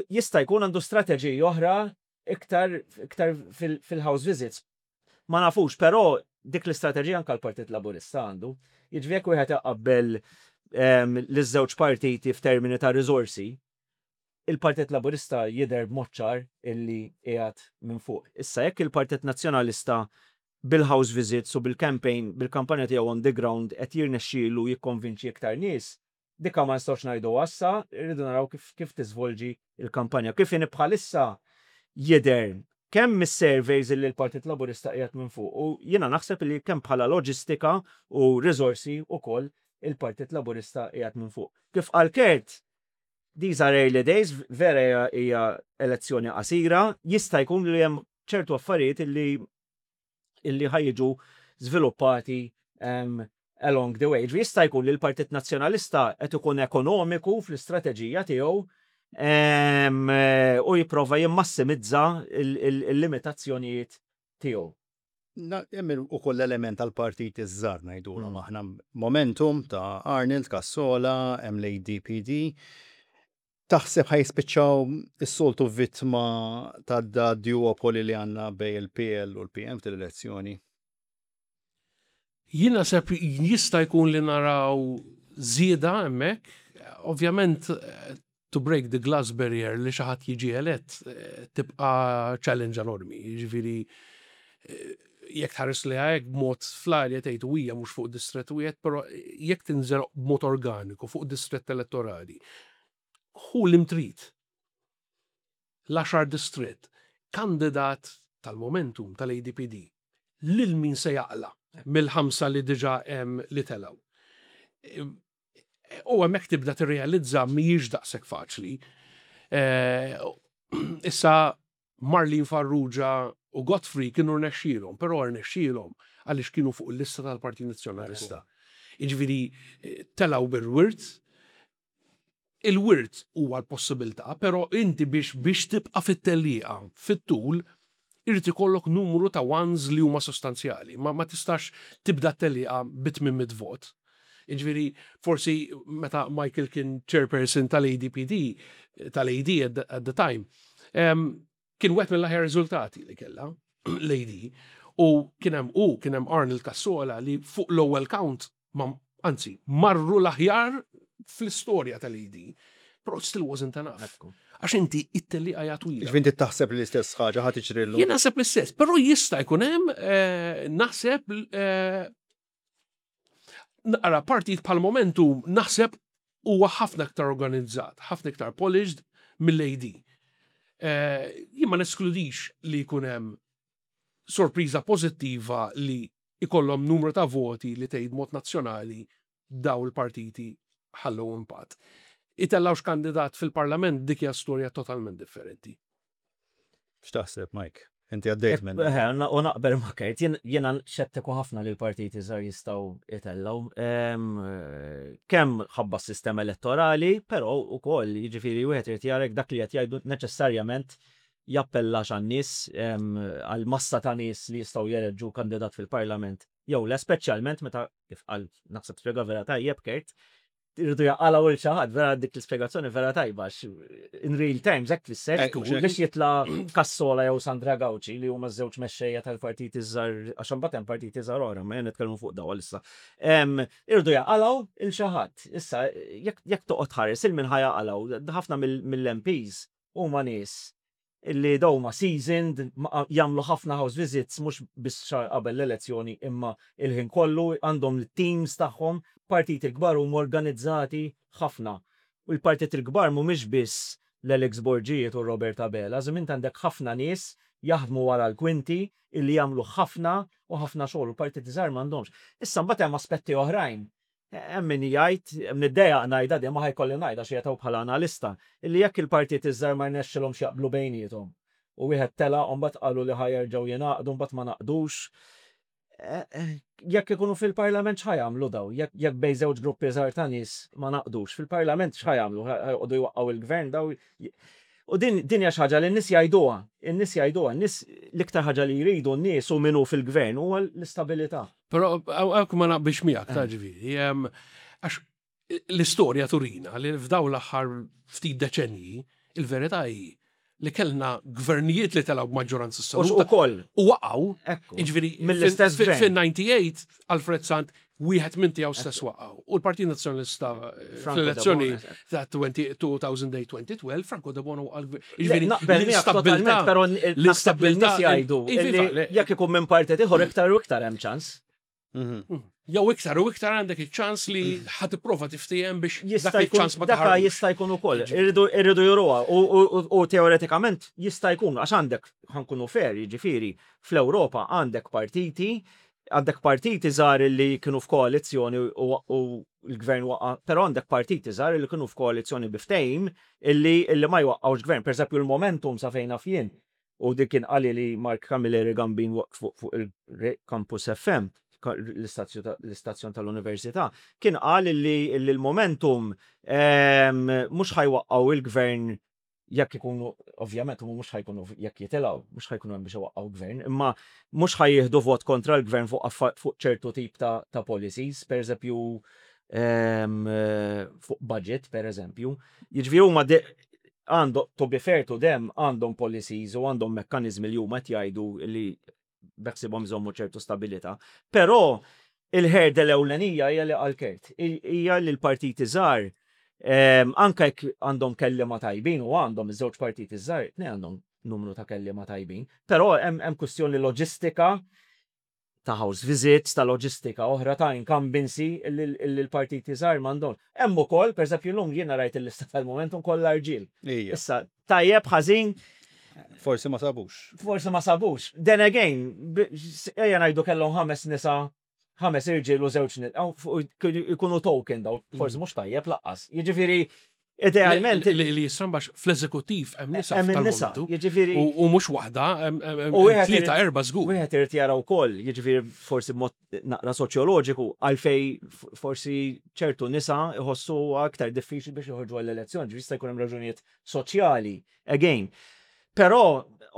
Jista' jkun għandu strateġiji oħra iktar iktar fil-house visits. Ma nafux, però dik l-istrateġija anke l-Partit Laburista għandu. Jiġifieri jekk wieħed iqabbel liż-żewġ partiti f'termini ta' riżorsi, il-Partit Laburista jidher b'mod ċar illi qiegħed minn fuq. Issa jekk il-Partit Nazzjonalista bil-house visits u bil-campaign, bil-kampanja tiegħu on the ground qed jirnexxielu jikkonvinċi iktar nies, Dika ma nistgħux ngħiduha issa, irridu naraw kif kif tiżvolġi l-kampanja. Kif inhi bħalissa jidher kemm mis-surveys illi l-Partit Laburista qiegħed minn fuq u jiena naħseb li kemm bħala loġistika u riżorsi wkoll il-Partit Laburista qiegħed minn fuq. Kif qal Kurt, these are early days, vera hija elezzjoni qasira, jista' jkun li hemm ċertu affarijiet illi illi ħa jiġu żviluppati along the way. Ġifieri jista' jkun li l-Partit Nazzjonalista qed ikun ekonomiku fl-istrateġija tiegħu u jipprova jimmassimizza il-limitazzjonijiet tiegħu. Hemm ukoll l-element tal-partiti ż-żgħar ngħidulhom aħna. Momentum ta' Arnold Cassola, hemm l-ADPD. Taħseb ħa jispiċċaw is-soltu vittma ta' da duopoly li għandna bejn il-PL u l-PN f'din l-elezzjoni? Jien naħseb jista' jkun li naraw żieda hemmhekk. Ovvjament to break the glass barrier li xi ħadd jiġi elett tibqa' challenge enormi. Jiġifieri jekk tħares lejha hekk b'mod fl-arja tgħid u hija mhux fuq distrett wieħed, però jekk tinżel b'mod organiku fuq distrett elettorali, ħu li trid l-għaxar distrett, kandidat tal-Momentum tal-ADPD, lil min se jaqla' mill-ħamsa li diġà hemm li telgħu. U hemmhekk tibda tirrealizza mhijiex daqshekk faċli. Issa Marlene Farrugia u Godfrey kienu rnexxielhom, però rnexxielhom għaliex kienu fuq il-lista tal-Partit Nazzjonalista. Jiġifieri telgħu bil-wirt, Il-wirt huwa l-possibilità, però inti biex biex tibqa' fit-tellieqa fit-tul irid ikollok numru ta' ones li huma sostanzjali. Ma ma tistax tibda t-tellieqa bi 800 vot. Jiġifieri forsi meta Michael kien chairperson tal-ADPD, tal-AD at the time, kien wieħed mill-aħjar riżultati li kellha l-AD. U kien hemm hu, kien hemm Arnold Cassola li fuq l-ewwel count ma anzi, marru l-aħjar fl-istorja tal-AD. Però it still wasn't enough. Għax inti it-tellieqa hija twila. Ġifieri inti taħseb li l-istess ħaġa ħa tiġri llum? Jien naħseb l-istess, però jista' jkun hemm eh, naħseb eh, naqra partit bħal Momentum naħseb huwa ħafna iktar organizzat, ħafna iktar polished mill-AD. Eh, jien ma neskludix li jkun hemm sorpriża pożittiva li ikollhom numru ta' voti li tgħid mod nazzjonali daw il-partiti ħallew impatt. Itellgħux kandidat fil-Parlament dik hija storja totalment differenti. X'taħseb, Mike? Inti għaddejt minn. Eh, u naqbel ma' Kurt, jiena xettiku ħafna li l-partiti żgħar jistgħu jtellgħu. Kemm ħabba s-sistema elettorali, però wkoll jiġifieri wieħed irid jara jekk dak li qed jgħidu neċessarjament jappellax għan-nies, għall-massa ta' nies li jistgħu jeleġġu kandidat fil-Parlament jew le, speċjalment meta, kif qal, naħseb spjega vera tajjeb Kurt, iridu jaqalgħu lil xi ħadd, vera dik l-ispjegazzjoni vera tajba għax in real terms hekk tfisser biex jitla' Cassola jew Sandra Gauci li huma ż-żewġ mexxejja tal-partiti ż-żgħar għax imbagħad hemm partiti żgħar oħra, ma nitkellmu fuq dawn għalissa. Iridu jaqalgħu lil xi ħadd. Issa jekk toqgħod tħares il min ħa jaqalgħu, ħafna mill-MPs Huma nies li dawn huma seasoned, jagħmlu ħafna house visits mhux biss xahar qabel l-elezzjoni imma l-ħin kollu, għandhom it-teams tagħhom. Partiti l-kbar huma organizzati ħafna. U l-partiti l-kbar mhumiex biss l-Alex Borgijiet u r-Robert Abela, żim int għandek ħafna nies jaħdmu wara l-kwinti illi jagħmlu ħafna u ħafna xogħol u l-partiti żgħar m'għandhomx. Issa mbagħad hemm aspetti oħrajn Hemm min jgħid, niddejjaq ngħidha din imma ħa jkolli ngħidha għax qiegħed hawn bħala analista, illi jekk il-partiti ż-żgħar ma rnexxilhomx jaqblu bejniethom u wieħed telaq u mbagħad qalu li ħa jerġgħu jingħaqdu mbagħad ma ngħaqdux, jekk ikunu fil-Parlament x'ħa jagħmlu dawn? Jekk bejn żewġ gruppi żgħar ta' nies ma ngħaqdux, fil-Parlament x'ħa jagħmlu? Ħa joqogħdu jwaqqgħu l-Gvern dawn? U din din hija xi ħaġa li n-nies jgħiduha, in-nies jgħiduha, n-nies l-iktar ħaġa li jridu n-nies u min hu fil-Gvern huwa l-istabilità. Però hawnhekk ma naqbilx miegħek ta' ġifieri, għax l-istorja turina li f'dawn l-aħħar ftit deċennji il-verità hi li kellna gvernijiet li telgħu b'maġġoranza assoluta. Ukoll. U waqgħu. Jiġifieri mill-istess gvern. Fin-98 Alfred Sant wieħed minn tiegħu stess waqgħu. U l-Partit Nazzjonalista eh, fl-elezzjoni ta' 2008-2012 Franco Debono waqgħu l-gvern. Jiġifieri l-istabilità, però l-istabilità jgħidu jekk ikun minn partit ieħor iktar u iktar hemm ċans. Mhm. Mm. Jew iktar u iktar għandek iċ-ċans li ħa tipprova tiftiehem biex dak iċ-ċans ma Daka jista' jkun ukoll. Irridu juruha u teoretikament jista' jkun għax għandek ħankunu fair, jiġifieri fl-Ewropa għandek partiti għandek partiti żgħar li kienu f'koalizzjoni u l-gvern waqa', però għandek partiti żgħar li kienu f'koalizzjoni bi ftehim illi illi ma jwaqqgħux gvern. Pereżempju l-Momentum sa fejn naf jien, u dik kien qali li Mark Camilleri Gambin waqt fuq il-Campus FM, l-istazzjon tal-Università, kien qal illi l-Momentum mhux ħa jwaqqgħu il-gvern jekk ikunu, ovvjament huma mhux ħa jkunu jekk jitilgħu, mhux ħa jkunu hemm biex iwaqqgħu gvern, imma mhux ħa jieħdu vot kontra l-gvern fuq fuq ċertu tip ta' ta' policies, pereżempju. Fuq budget, per eżempju. Jiġifieri huma għandhom, to be fair to them, għandhom policies u għandhom mekkaniżmi li huma qed jgħidu li beħsibhom jżommu ċertu stabilità. Però il-hurdle ewlenija hija li qal Kurt, hija li l-partiti żgħar anke jekk għandhom kelliema tajbin u għandhom iż-żewġ partiti żgħar, tnejn għandhom numru ta' kelliema tajbin, però hemm kwistjoni loġistika ta' house visits, ta' loġistika oħra, ta' incumbency li l-partiti żgħar m'għandhomx. Hemm ukoll, pereżempju llum jiena rajt il-lista tal-Momentum kollha rġiel. Issa, tajjeb, ħażin. Forsi ma sabux. Forsi ma sabux. Then again, ejja ngħidu kellhom ħames nisa, ħames irġiel u żewġ nisa, ikunu token daw, forsi mhux tajjeb laqqas. Jiġifieri, Idealment. Li jistrambax fl-eżekuttiv hemm nisa. Hemm nisa, jiġifieri. U mhux waħda, hemm tlieta erba' żgur. Wieħed irid jara wkoll, jiġifieri forsi b'mod naqra soċjoloġiku, għalfej forsi ċertu nisa jħossu aktar diffiċli biex joħorġu għall-elezzjoni, ġifieri jista' jkun hemm raġunijiet soċjali, again. Però,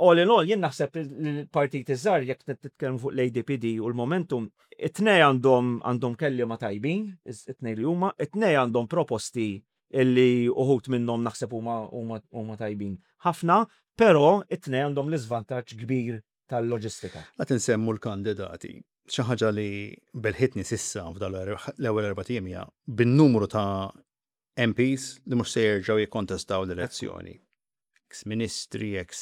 all in all, jien naħseb li l-partiti żgħar, jekk nitkellmu fuq l-ADPD u l-Momentum, it-tnej għandhom għandhom kelliema tajbin, it-tnej li huma, it-tnej għandhom proposti illi uħud minnhom naħseb huma huma huma tajbin ħafna, però it-tnejn għandhom l-iżvantaġġ kbir tal-loġistika. Qed insemmu l-kandidati. Xi ħaġa li belħitni s'issa f'dawn l-ewwel erbat ijiem hija bin-numru ta' MPs li mhux se jerġgħu jikkontestaw l-elezzjoni. Eks ministri, eks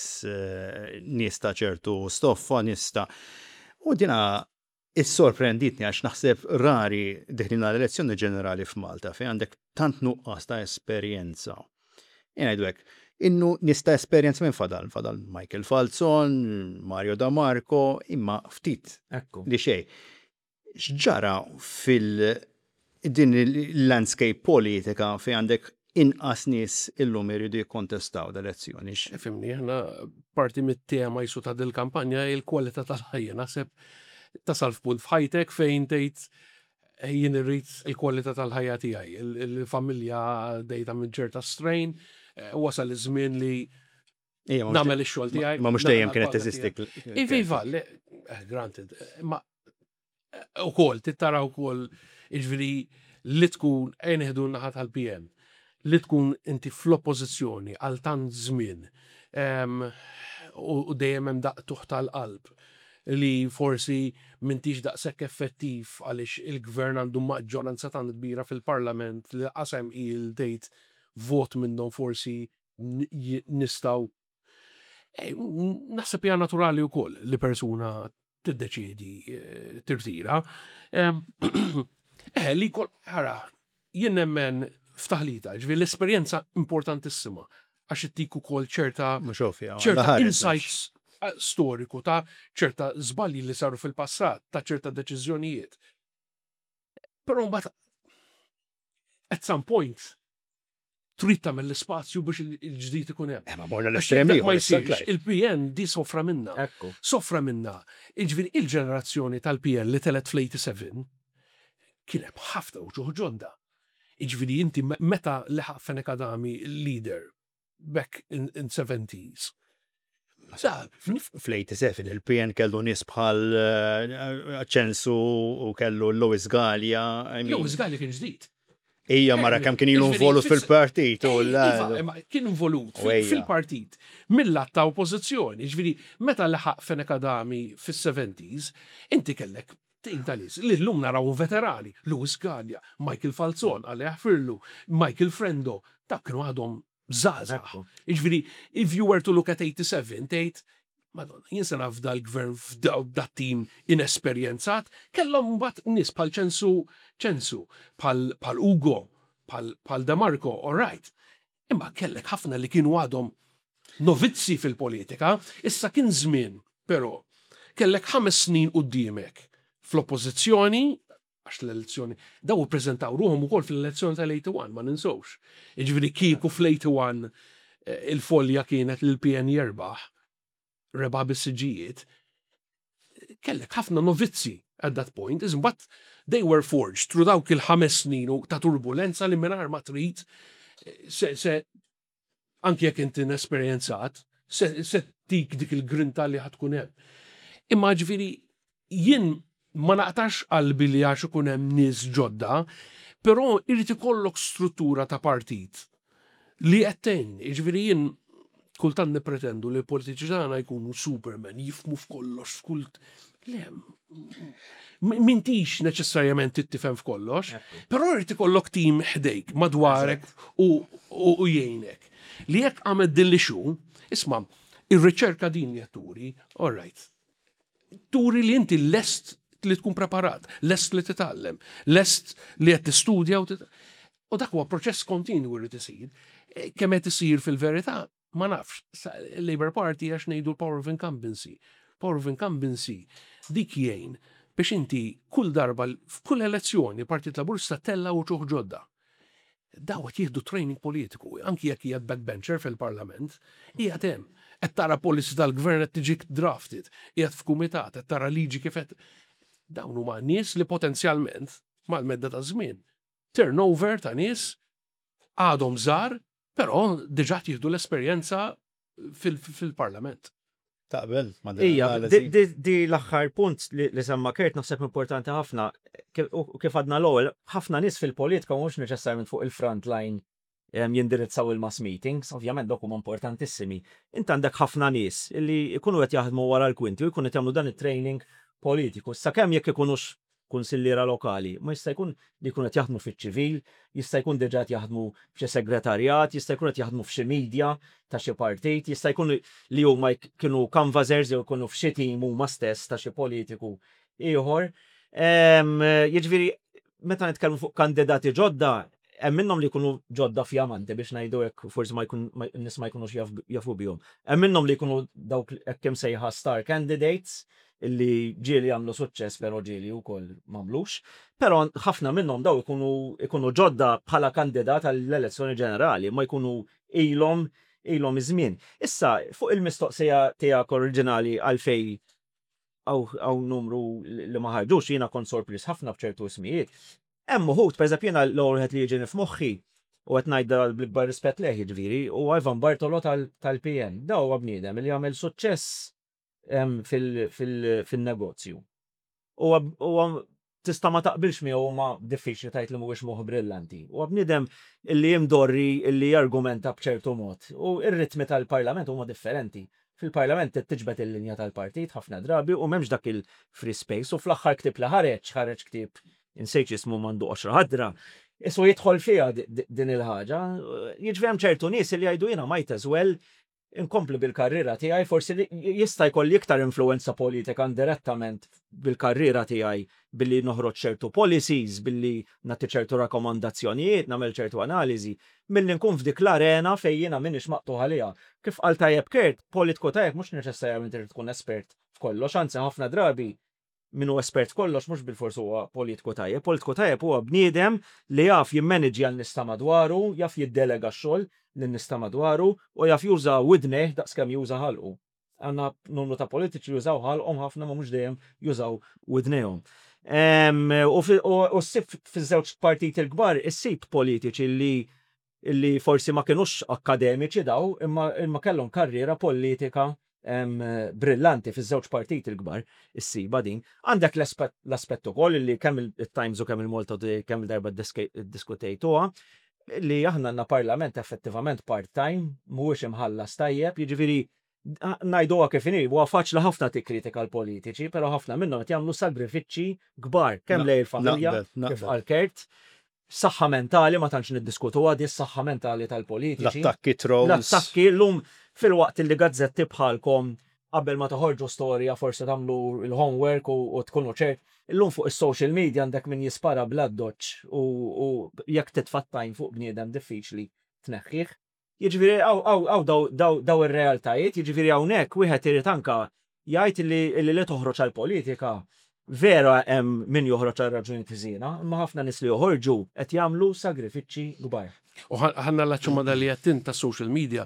nies ta' ċertu stoffa, nies ta' U dina Issorprenditni għax naħseb rari deħlin għal elezzjoni ġenerali f'Malta fejn għandek tant nuqqas ta' esperjenza. Ejja ngħidu hekk, innu nies ta' esperjenza minn fadal, fadal Michael Falzon, Mario Da Marco, imma ftit li xejn. X'ġara fil din il-landscape politika fejn għandek inqas nies illum iridu jikkontestaw l-elezzjoni. Ifhimni, aħna parti mit-tema jisu ta' dil-kampanja hi l-kwalità tal-ħajja. Naħseb tasal f'punt f'ħajtek fejn tgħid eh, jien irrid il-kwalità tal-ħajja tiegħi. Il-familja dejta minn ċerta strain, eh, wasal iż-żmien li nagħmel ix-xogħol tiegħi. Ma mhux dejjem kienet teżisti. Iva, iva, eh, granted, ma Ukoll, trid tara wkoll, jiġifieri li tkun, ejja nieħdu n-naħa tal-PN, li tkun inti fl-oppożizzjoni għal tant żmien u dejjem hemm daqq tal-qalb li forsi m'intix daqshekk effettiv għaliex il-gvern għandu maġġoranza tant kbira fil-parlament li lanqas hemm il tgħid vot minnhom forsi nistgħu. Naħseb hija naturali wkoll li persuna tiddeċiedi tirtira. Eh, li kol, ħara, jien nemmen f'taħlita, ġifieri l-esperjenza importantissima għax ittik ukoll ċerta ċerta insights storiku ta' ċerta żbalji li saru fil-passat, ta' ċerta deċiżjonijiet. Però mbagħad at some point trid tagħmel l-ispazju biex il-ġdid ikun hemm. Eh, ma morna l-estrem Ma jsirx, il-PN di sofra minna. Sofra minna. Jiġifieri il-ġenerazzjoni tal-PN li telet fl-87 kien hemm ħafna uċuħ ġodda. Jiġifieri inti meta leħaq Fenech Adami leader back in 70s. Fl-87 il-PN kellu nies bħal eh, Ċensu u kellu Louis Gallia. Louis Gallia kien ġdid. Ija mara kemm kien ilu involut fil-partit u iva, kien involut fil-partit mill-att ta' oppożizzjoni. Ġifieri meta leħaq Fenech Adami fis-70s, inti kellek tim ta' nies li llum naraw veterani, Louis Gallia, Michael Falzon, Alla jaħfirlu, Michael Frendo, dak kienu għadhom żgħażagħ. Jiġifieri, if you were to look at 87, tgħid, Madonna, jien se naf dal-gvern f'dat-tim inesperjenzat, kellhom mbagħad nies bħal Ċensu Ċensu, bħal Ugo, bħal De Marco, all right. Imma kellek ħafna li kienu għadhom novizzi fil-politika, issa kien żmien, però, kellek 5 snin quddiemek fl-oppożizzjoni, għax l-elezzjoni, daw ippreżentaw ruħhom ukoll fl-elezzjoni tal-81, ma ninsewx. Jiġifieri kieku fl-81 il-folja kienet li l-PN jerbaħ, rebaħ bis-siġġijiet, kellek ħafna novizzi at that point, but they were forged through dawk il-5 snin u ta' turbulenza li mingħajr ma trid se anki jekk inti inesperjenzat, se tik dik il-grinta li ħa tkun hemm. Imma ġifieri jien ma naqtax qalbi li għax ikun hemm nies ġodda, Però irid ikollok struttura ta' partit li qed tgħin. Jiġifieri jien kultant nippretendu li l-politiċi tagħna jkunu superman, jifhmu f'kollox, f'kull. Le, m'intix neċessarjament trid tifhem f'kollox, però irid ikollok tim ħdejk, madwarek u jgħinek. Li jekk għamet din l-issue, isma', ir-riċerka din li qed turi, all right. Turi li inti lest li tkun preparat, lest li titgħallem, lest li qed tistudja u U dak huwa proċess kontinwu li isir. Kemm qed isir fil-verità, ma nafx. Labour Party għax ngħidu l-power of incumbency. Power of incumbency dik jgħin biex inti kull darba f'kull elezzjoni Partit Laburista tella' uċuħ ġodda. Daw qed jieħdu training politiku, anki jekk qiegħed backbencher fil-Parlament, qiegħed hemm. Qed tara policy tal-gvern qed tiġi drafted, qiegħed f'kumitat, qed tara liġi kif qed. Dawn huma nies li potenzjalment mal-medda ta' żmien turnover ta' nies għadhom żgħar, però diġà qed jieħdu l-esperjenza fil-Parlament. Taqbel ma' din Ija, l-analiżi? di l-aħħar punt li semma Kurt naħseb importanti ħafna. U kif għadna l-ewwel, ħafna nies fil-politika mhux neċessarjament fuq il-front line jindirizzaw il-mass meetings, ovvjament dawk huma importantissimi. Int għandek ħafna nies li jkunu qed jaħdmu wara l-kwinti u jkunu qed jagħmlu dan it-training politiku. Sakemm jekk ikunux kunsilliera lokali, ma jista' jkun li jkunu qed jaħdmu fiċ-ċivil, jista' jkun diġà qed jaħdmu f'xi segretarjat, jista' jkun qed jaħdmu f'xi media ta' xi partit, jista' jkun li huma kienu canvassers jew ikunu f'xi team huma stess ta' xi politiku ieħor. Jiġifieri meta nitkellmu fuq kandidati ġodda, hemm minnhom li jkunu ġodda fjamanti biex ngħidu hekk, forsi ma jkun n-nies ma jkunux jafu bihom. Hemm minnhom li jkunu dawk hekk imsejħa star candidates illi ġieli jagħmlu suċċess però ġieli wkoll m'għamlux. Però ħafna minnhom daw ikunu ikunu ġodda bħala kandidat għall-elezzjoni ġenerali, ma jkunu ilhom ilhom iż-żmien. Issa, fuq il-mistoqsija tiegħek oriġinali għalfejn hawn numru li ma ħarġux, jiena kont sorpriż ħafna b'ċertu ismijiet. Hemm uħud, pereżempju jiena l-ewwel wieħed li jiġini f'moħħi, u qed ngħid bl-ikbar rispett lejh jiġifieri, huwa Ivan Bartolo tal-PN. Da huwa bniedem li għamel suċċess fil-negozju. Huwa tista' ma taqbilx miegħu ma diffiċli tgħid li mhuwiex moħħ brillanti. Huwa bniedem illi imdorri illi jargumenta b'ċertu mod. U r-ritmi tal-Parlament huma differenti. Fil-Parlament trid tiġbed il-linja tal-partit ħafna drabi u m'hemmx dak il-free space. U fl-aħħar ktieb li ħareġ, ħareġ ktieb insejt x'ismu m'għandu qoxra ħadra, isu jidħol fiha din il-ħaġa. Jiġifieri hemm ċertu nies li jgħidu jiena might as well inkompli bil-karriera tiegħi, forsi jista' jkolli iktar influenza politika indirettament bil-karriera tiegħi billi noħroġ ċertu policies, billi nagħti ċertu rakkomandazzjonijiet, nagħmel ċertu analiżi, milli nkun f'dik l-arena fejn jiena m'iniex maqtugħ għaliha. Kif qal tajjeb Kurt, politiku tajjeb mhux neċessarjament irid tkun espert f'kollox, anzi ħafna drabi min hu espert f'kollox mhux bilfors huwa politiku tajjeb. Politiku tajjeb huwa bniedem li jaf jimmaniġġja n-nies ta' madwaru, jaf jiddelega x-xogħol lin-nies ta' madwaru u jaf juża widnejh daqskemm juża ħalqu. Għandna numru ta' politiċi li jużaw ħalqhom ħafna ma mhux dejjem jużaw widnejhom. U ssib fiż-żewġ partiti l-kbar issib politiċi li li forsi ma kinux akkademiċi daw, imma imma kellhom karriera politika brillanti fiż-żewġ partiti l-kbar, issiba din. Għandek l-aspett ukoll li kemm il-Times u kemm il-Malta Today kemm il-darba ddiskutejtuha, li aħna għandna parlament effettivament part-time, mhuwiex imħallas tajjeb, jiġifieri ngħiduha kif inhi, huwa faċli ħafna tikkritika l-politiċi, però ħafna minnhom qed jagħmlu sagrifiċċji kbar kemm lejn il-familja, kif qal Kurt, saħħa mentali ma tantx niddiskutuha di s-saħħa mentali tal-politiċi. L-attakki trolls. L-attakki llum filwaqt li gazzetti bħalkom qabel ma toħorġu storja forsi tagħmlu l-homework u tkunu ċert. Illum fuq is-social media għandek min jispara bl-addoċċ u jekk titfa' t-tajn fuq bniedem diffiċli tneħħih. Jiġifieri hawn daw ir-realtajiet, jiġifieri hawnhekk wieħed irid anke jgħid li li toħroġ għall-politika vera hemm min joħroġ għal raġunijiet ħżiena, imma ħafna nies li joħorġu qed jagħmlu sagrifiċċji kbar. U ħa nallaċċu ma' dan li għedt int tas-social media,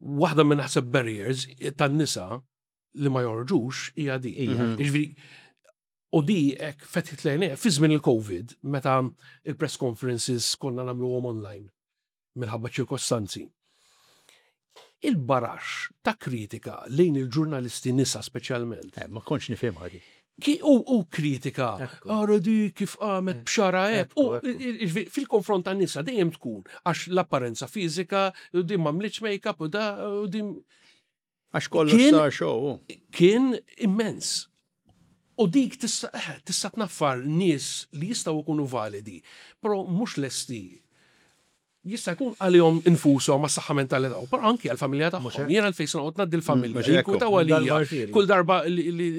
waħda minn naħseb barriers tan-nisa li ma joħorġux hija di. Jiġifieri u di hekk fetħit l-għajnejja fi żmien il-Covid meta il-press conferences konna nagħmluhom online minħabba ċirkostanzi. Il-baraxx ta' kritika lejn il-ġurnalisti nisa speċjalment. Ma kontx nifhimha di. U kritika, ara di kif qamet b'xara hekk. U fil-konfront tan-nisa dejjem tkun għax l-apparenza fiżika, din m'għamlitx make-up u da u din. Għax kollox sar show. Kien immens. U dik tista' tista' tnaffar nies li jistgħu jkunu validi, però mhux lesti Jista' jkun għalihom infushom għas-saħħa mentali tagħhom, però anki għall-familja tagħhom. Jien għalfejn se noqgħod ngħaddi l-familja. Jinkwitaw għalija. Kull darba li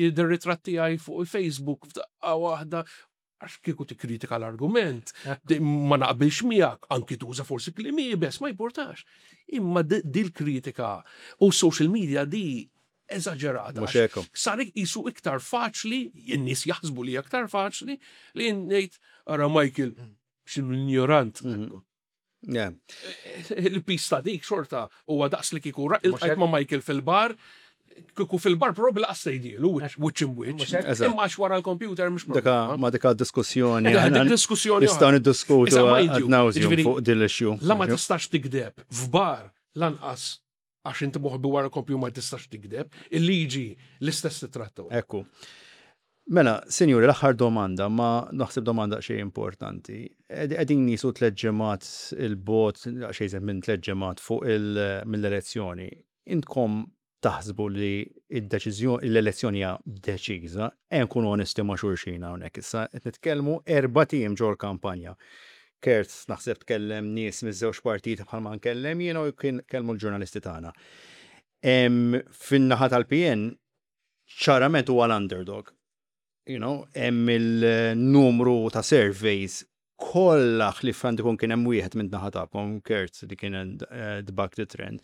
jidher ritratt tiegħi fuq il-Facebook f'daqqa waħda għax kieku tikkritika l-argument, ma naqbilx miegħek, anki tuża forsi kliem iebes, ma jimpurtax. Imma dil-kritika u social media di eżaġerata. Sar qisu iktar faċli, in-nies jaħsbu li aktar faċli li ngħid ara Michael X'inhu l-injorant. Il-piż ta' dik xorta huwa daqs li kieku iltqajt ma' Michael fil-bar, kieku fil-bar probabbli laqas tgħidielu wiċċ imwiċċ. Imma għax wara l-computer mhux problema. Ma dika diskussjoni. Dik diskussjoni. Nistgħu niddiskutu ad nauseam fuq din l-issue. La ma tistax tikdeb f'bar lanqas għax inti moħbi wara kompju ma tistax tikdeb, il-liġi l-istess titratta. Ekku. Mela, sinjuri, l-aħħar domanda, ma naħseb domanda xej importanti. Qegħdin nisu tliet ġimgħat il-bot, xejn minn tliet ġimgħat fuq mill-elezzjoni. Intkom taħsbu li id-deċiżjoni l-elezzjoni hija deċiża, ejja nkunu onesti ma' xulxin hawnhekk issa, qed nitkellmu erbat ijiem ġol-kampanja. Kurt naħseb tkellem nies miż-żewġ partiti bħalma nkellem jiena u kien kellmu l-ġurnalisti tagħna. Fin-naħa tal-PN ċarament huwa l-underdog. You know, hemm il-numru ta' surveys kollha ħlief għandu jkun kien hemm wieħed minn naħa tagħkom, Kurt, li kien eh, dbak the trend,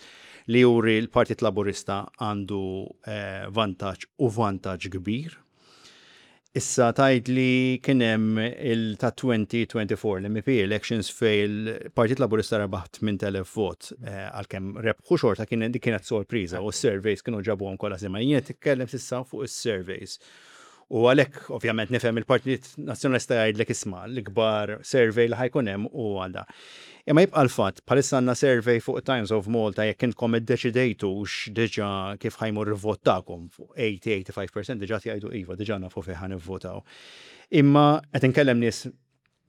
li juri l-Partit Laburista għandu eh, vantaġġ u vantaġġ kbir. Issa tgħid li kien hemm il ta' 2024 l-MEP elections fejn il-Partit Laburista rebaħ 8,000 vot eh, għalkemm rebħu xorta kien dik kienet sorpriża u s-surveys kienu ġabuhom kollha sema. Jien qed nitkellem s'issa fuq is-surveys. U għalhekk ovvjament nifhem il-Partit Nazzjonalista jgħidlek isma' l-ikbar survey li ħa jkun hemm hu għal da. Imma jibqa' l-fatt, bħalissa għandna survey fuq Times of Malta jekk intkom iddeċidejtux diġà kif ħa jmur il-vot tagħkom, fuq 80-85% diġà qed jgħidu iva, diġà nafu fejn ħa nivvotaw. Imma qed inkellem nies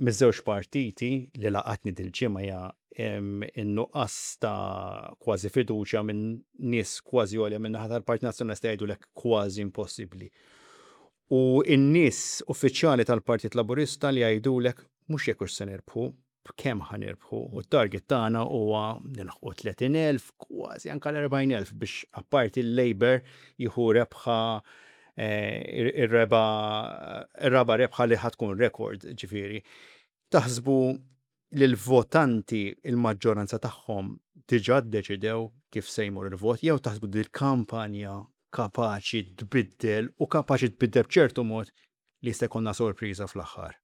miż-żewġ partiti li laqatni dil-ġimgħa hija in-nuqqas ta' kważi fiduċja minn nies kważi għolja min-naħa tal-Partit Nazzjonalista jgħidulek kważi impossibbli. U n-nies uffiċjali tal-Partit Laburista li jgħidulek mhux jekk hux se nirbħu, b'kemm ħa nirbħu u t-target tagħna huwa nilħqu 30,000, kważi anke l-40,000 biex apparti l-Labour jieħu rebħa ir-reba ir-raba' rebħa li ħa tkun rekord ġifieri. Taħsbu li l-votanti il-maġġoranza tagħhom diġà ddeċidew kif se jmur il-vot jew taħsbu li l-kampanja kapaċi tbiddel u kapaċi tbiddel b'ċertu mod li jista' jkollna sorpriża fl-aħħar?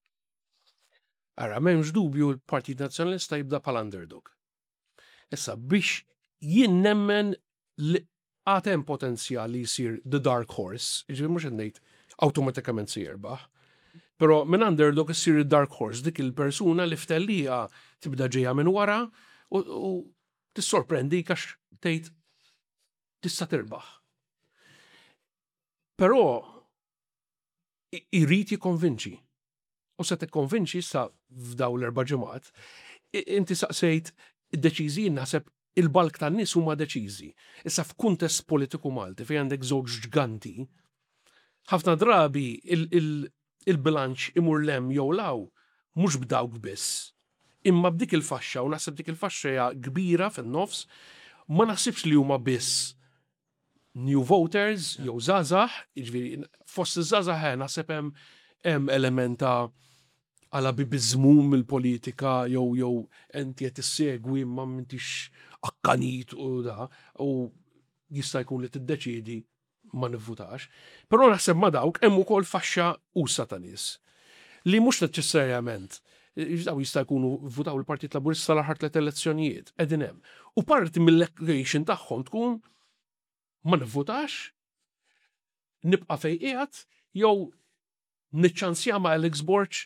Ara, m'hemmx dubju l-Partit Nazzjonalista jibda bħala underdog. Issa, biex jien nemmen li għad hemm potenzjal li jsir the dark horse, jiġifieri mhux qed ngħid awtomatikament se jirbaħ, però minn underdog issir id-dark horse, dik il-persuna li f'tellieqa tibda ġejja minn wara u tissorprendik għax tgħid tista' tirbaħ. Però jrid jikkonvinċi. U se tikkonvinċi issa f'dawn l-erba' ġimgħat. Inti saqsejt id-deċiżi jien naħseb il-bulk tan-nies huma deċiżi. Issa f'kuntest politiku Malti fejn għandek żewġ ġganti, ħafna drabi il-bilanċ imur 'l hemm jew 'l hawn mhux b'dawk biss, imma b'dik il-faxxa u naħseb dik il-faxxa hija kbira fin-nofs, ma naħsibx li huma biss new voters jew żgħażagħ, jiġifieri fost iż-żgħażagħ eh, naħseb hemm hemm element ta' għala bibiżmu mill-politika jew jew inti qed issegwi imma m'intix akkanit u da u jista' jkun li tiddeċiedi ma nivvutax. Però naħseb ma' dawk hemm ukoll faxxa usa' ta' nies li mhux neċessarjament daw jista' jkunu vvutaw il-Partit Laburista l-aħħar tliet elezzjonijiet, qegħdin hemm. U parti mill-equation tagħhom tkun ma nivvutax, nibqa' fejn qiegħed jew niċċansja ma' Alex Borg.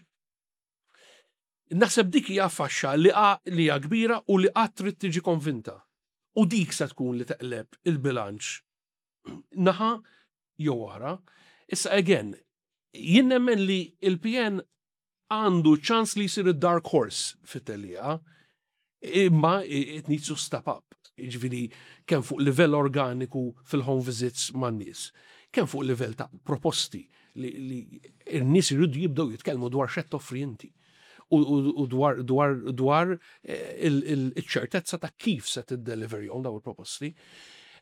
Naħseb dik hija faxxa li li hija kbira u li qatt trid tiġi konvinta. U dik se tkun li teqleb il-bilanċ naħa jew oħra. Issa again, jien nemmen li il-PN għandu ċans li jsir id-dark horse fit-tellieqa, imma it needs to step up. Jiġifieri kemm fuq livell organiku fil-home visits man-nies, kemm fuq livell ta' proposti li n-nies iridu jibdew jitkellmu dwar x'qed toffri inti u dwar dwar dwar iċ-ċertezza ta' kif se tiddeliverjhom dawn il-proposti.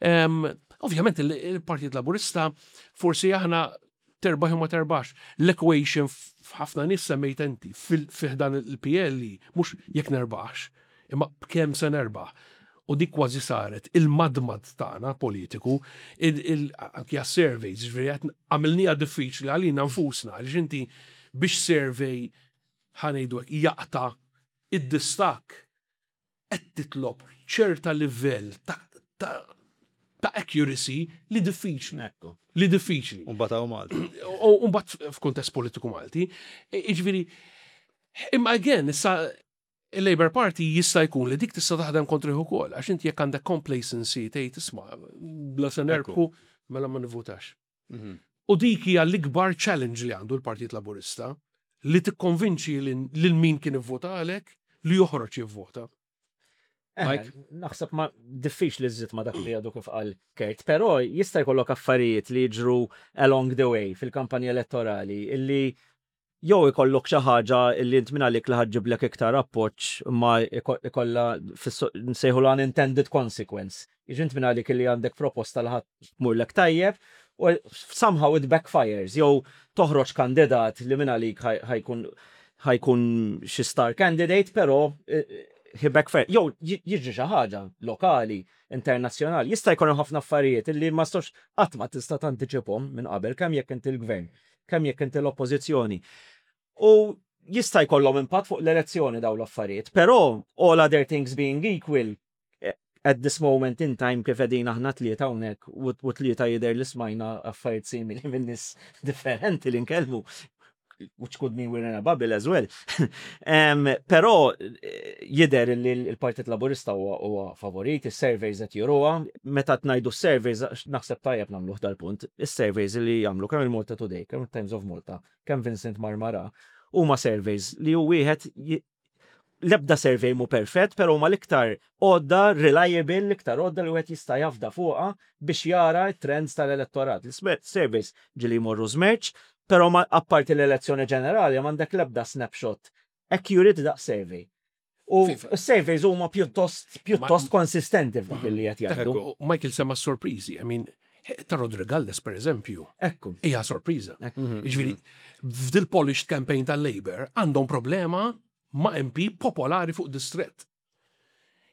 Ovvjament il-Partit Laburista forsi aħna terbaħ jew ma terbaħx. L-equation f'ħafna nies semmejt inti fi ħdan il-PL hi mhux jekk nerbaħx, imma b'kemm se nerbaħ. U dik kważi saret il-madmad tagħna politiku, anki għas-surveys, jiġifieri qed għamilniha diffiċli għalina nfusna għaliex inti biex survey ħa ngħidu hekk jaqta' id-distakk qed titlob ċerta livell ta' ta' ta' accuracy li diffiċli. Ekku. Li diffiċli. U mbagħad hawn Malta. U mbagħad f'kuntest politiku Malti. Jiġifieri, imma again, issa il-Labour Party jista' jkun li dik tista' taħdem kontrih ukoll, għax inti jekk għandek complacency tgħid isma' bla se nerbħu mela ma nivvutax. U dik hija l-ikbar challenge li għandu l-Partit Laburista, li tikkonvinċi lil min kien ivvotalek li joħroġ jivvota. Eh, naħseb ma diffiċli żżid ma dak li għadu kif qal Kurt, però jista' jkollok affarijiet li jiġru along the way fil-kampanja elettorali illi jew ikollok xi ħaġa li int minn għalik li ħa ġġiblek iktar appoġġ imma ikollha nsejħulha unintended consequence. Jiġifieri int minn għalik li għandek proposta li ħa tmurlek tajjeb u somehow it backfires jew toħroġ kandidat li minn għalik ħa jkun ħa jkun xi star candidate però he backfire. Jew jiġri xi ħaġa lokali, internazzjonali. Jista' jkun hemm ħafna affarijiet li ma tistax qatt ma tista' tantiċipahom minn qabel kemm jekk inti l-gvern, kemm jekk inti l-oppożizzjoni. U jista' jkollhom impatt fuq l-elezzjoni dawn l-affarijiet, però all other things being equal, at this moment in time kif qegħdin aħna tlieta hawnhekk u tlieta jidher li smajna affarijiet simili minn nies differenti li nkellmu, which could mean we're in a bubble as well. Però jidher li l-Partit Laburista huwa favorit, is-surveys qed juruha. Meta ngħidu s-surveys, naħseb tajjeb nagħmluh dal-punt, is-surveys li jagħmlu kemm il-Malta Today, kemm il-Times of Malta, kemm Vincent Marmara, huma surveys li hu wieħed l-ebda survey mhu perfett, però huma l-iktar għodda reliable, l-iktar għodda li wieħed jista' jafda fuqha biex jara t-trends tal-elettorat. L-surveys ġieli jmorru żmerċ, però apparti l-elezzjoni ġenerali m'għandek l-ebda snapshot accurate daqs survey. U s-surveys huma pjuttost pjuttost konsistenti f'dak li qed jgħidu. Michael semma sorpriżi, I mean, ta' Roderick Galdes per eżempju. Ekku. Hija sorpriża. Jiġifieri, f'dil polished campaign tal-Labour għandhom problema ma' MP popolari fuq distrett.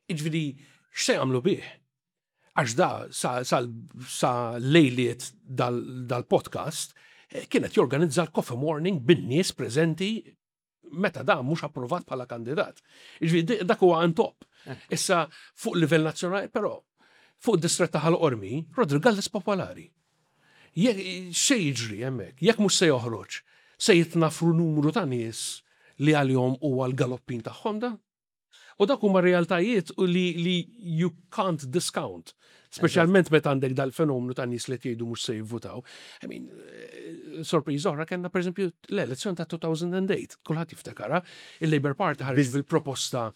Jiġifieri, x'se jagħmlu bih? Għax da sa, sa, sa lejliet dal-podcast kienet jorganizza l-coffee morning bin-nies preżenti meta da mhux approvat bħala kandidat. Jiġifieri dak huwa on top. Issa fuq livell nazzjonali, però fuq distrett ta' Ħal Qormi, Roderick Galdes popolari. X'se jiġri hemmhekk? Jekk mhux se joħroġ, se jitnafru numru ta' nies li għalihom huwa l-galoppin tagħhom da? U dak huma realtajiet li, li you can't discount. Speċjalment meta għandek dal-fenomenu ta' nies li jgħidu mhux se jivvutaw. I mean, sorpriża oħra kellna pereżempju l-elezzjoni ta' 2008, kulħadd jiftakarha, il-Labour Party ħareġ bil-proposta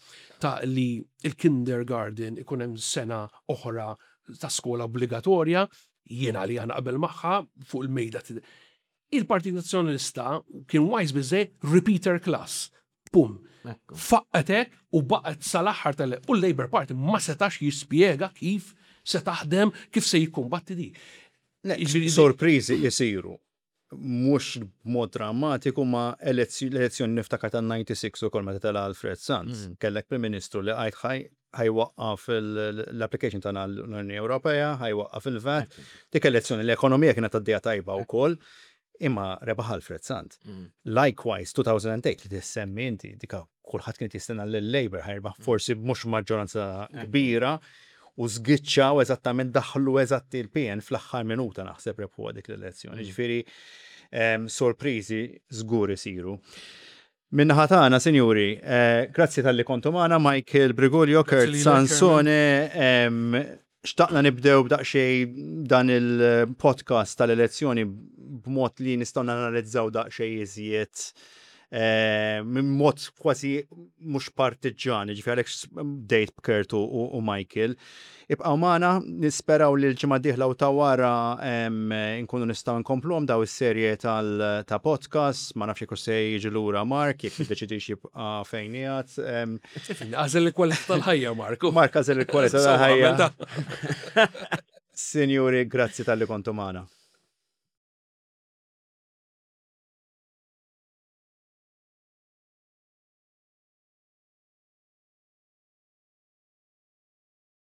ta' li il-kindergarten ikun hemm sena oħra ta' skola obbligatorja, jiena li naqbel magħha fuq il-mejda. Il-Partit Nazzjonalista kien wise biżżejjed repeater class. Pum. Faqqgħetek u baqgħet sal-aħħar tal U l-Labour Party ma setax jispjega kif se taħdem, kif se jikkumbatti di. Sorpriżi jisiru. Mhux b'mod drammatiku ma l-elezzjoni niftakar tan-96 ukoll meta tela' Alfred Sant. Kellek Prim Ministru li għajt ħa jwaqqaf l-application tagħna l-Unjoni Ewropea, ħa jwaqqaf il-VAT. Dik elezzjoni l-ekonomija kienet għaddejja tajba wkoll, imma rebaħ Alfred Sant. Likewise, 2008 li tissemmi inti, dika kulħadd kien jistenna li l-Labour ħa jirbaħ forsi mhux maġġoranza kbira u żgiċċaw eżattament daħlu eżatti l-PN fl-aħħar minuta naħseb rebħuha dik l-elezzjoni. Ġifieri sorpriżi żgur isiru. Min-naħa tagħna, sinjuri, grazzi talli kontu magħna, Michael Briguglio, Kurt Sansone, Xtaqna nibdew b'daqsxejn dan il-podcast tal-elezzjoni b'mod li nistgħu nanalizzaw daqsxejn iżjed eh, minn mod kważi mhux partiġġan, ġifieri għalhekk bdejt b'Kurt u Michael. Ibqgħu magħna, nisperaw li l-ġimgħa dieħla u ta' wara nkunu nistgħu nkompluhom daw is-serje ta' podcast, ma nafx jekk se jiġi lura Mark, jekk jiddeċidix jibqa' fejn qiegħed. Għażel il-kwalità tal-ħajja, Mark. Mark għażel il-kwalità tal-ħajja. Sinjuri, grazzi talli kontu magħna.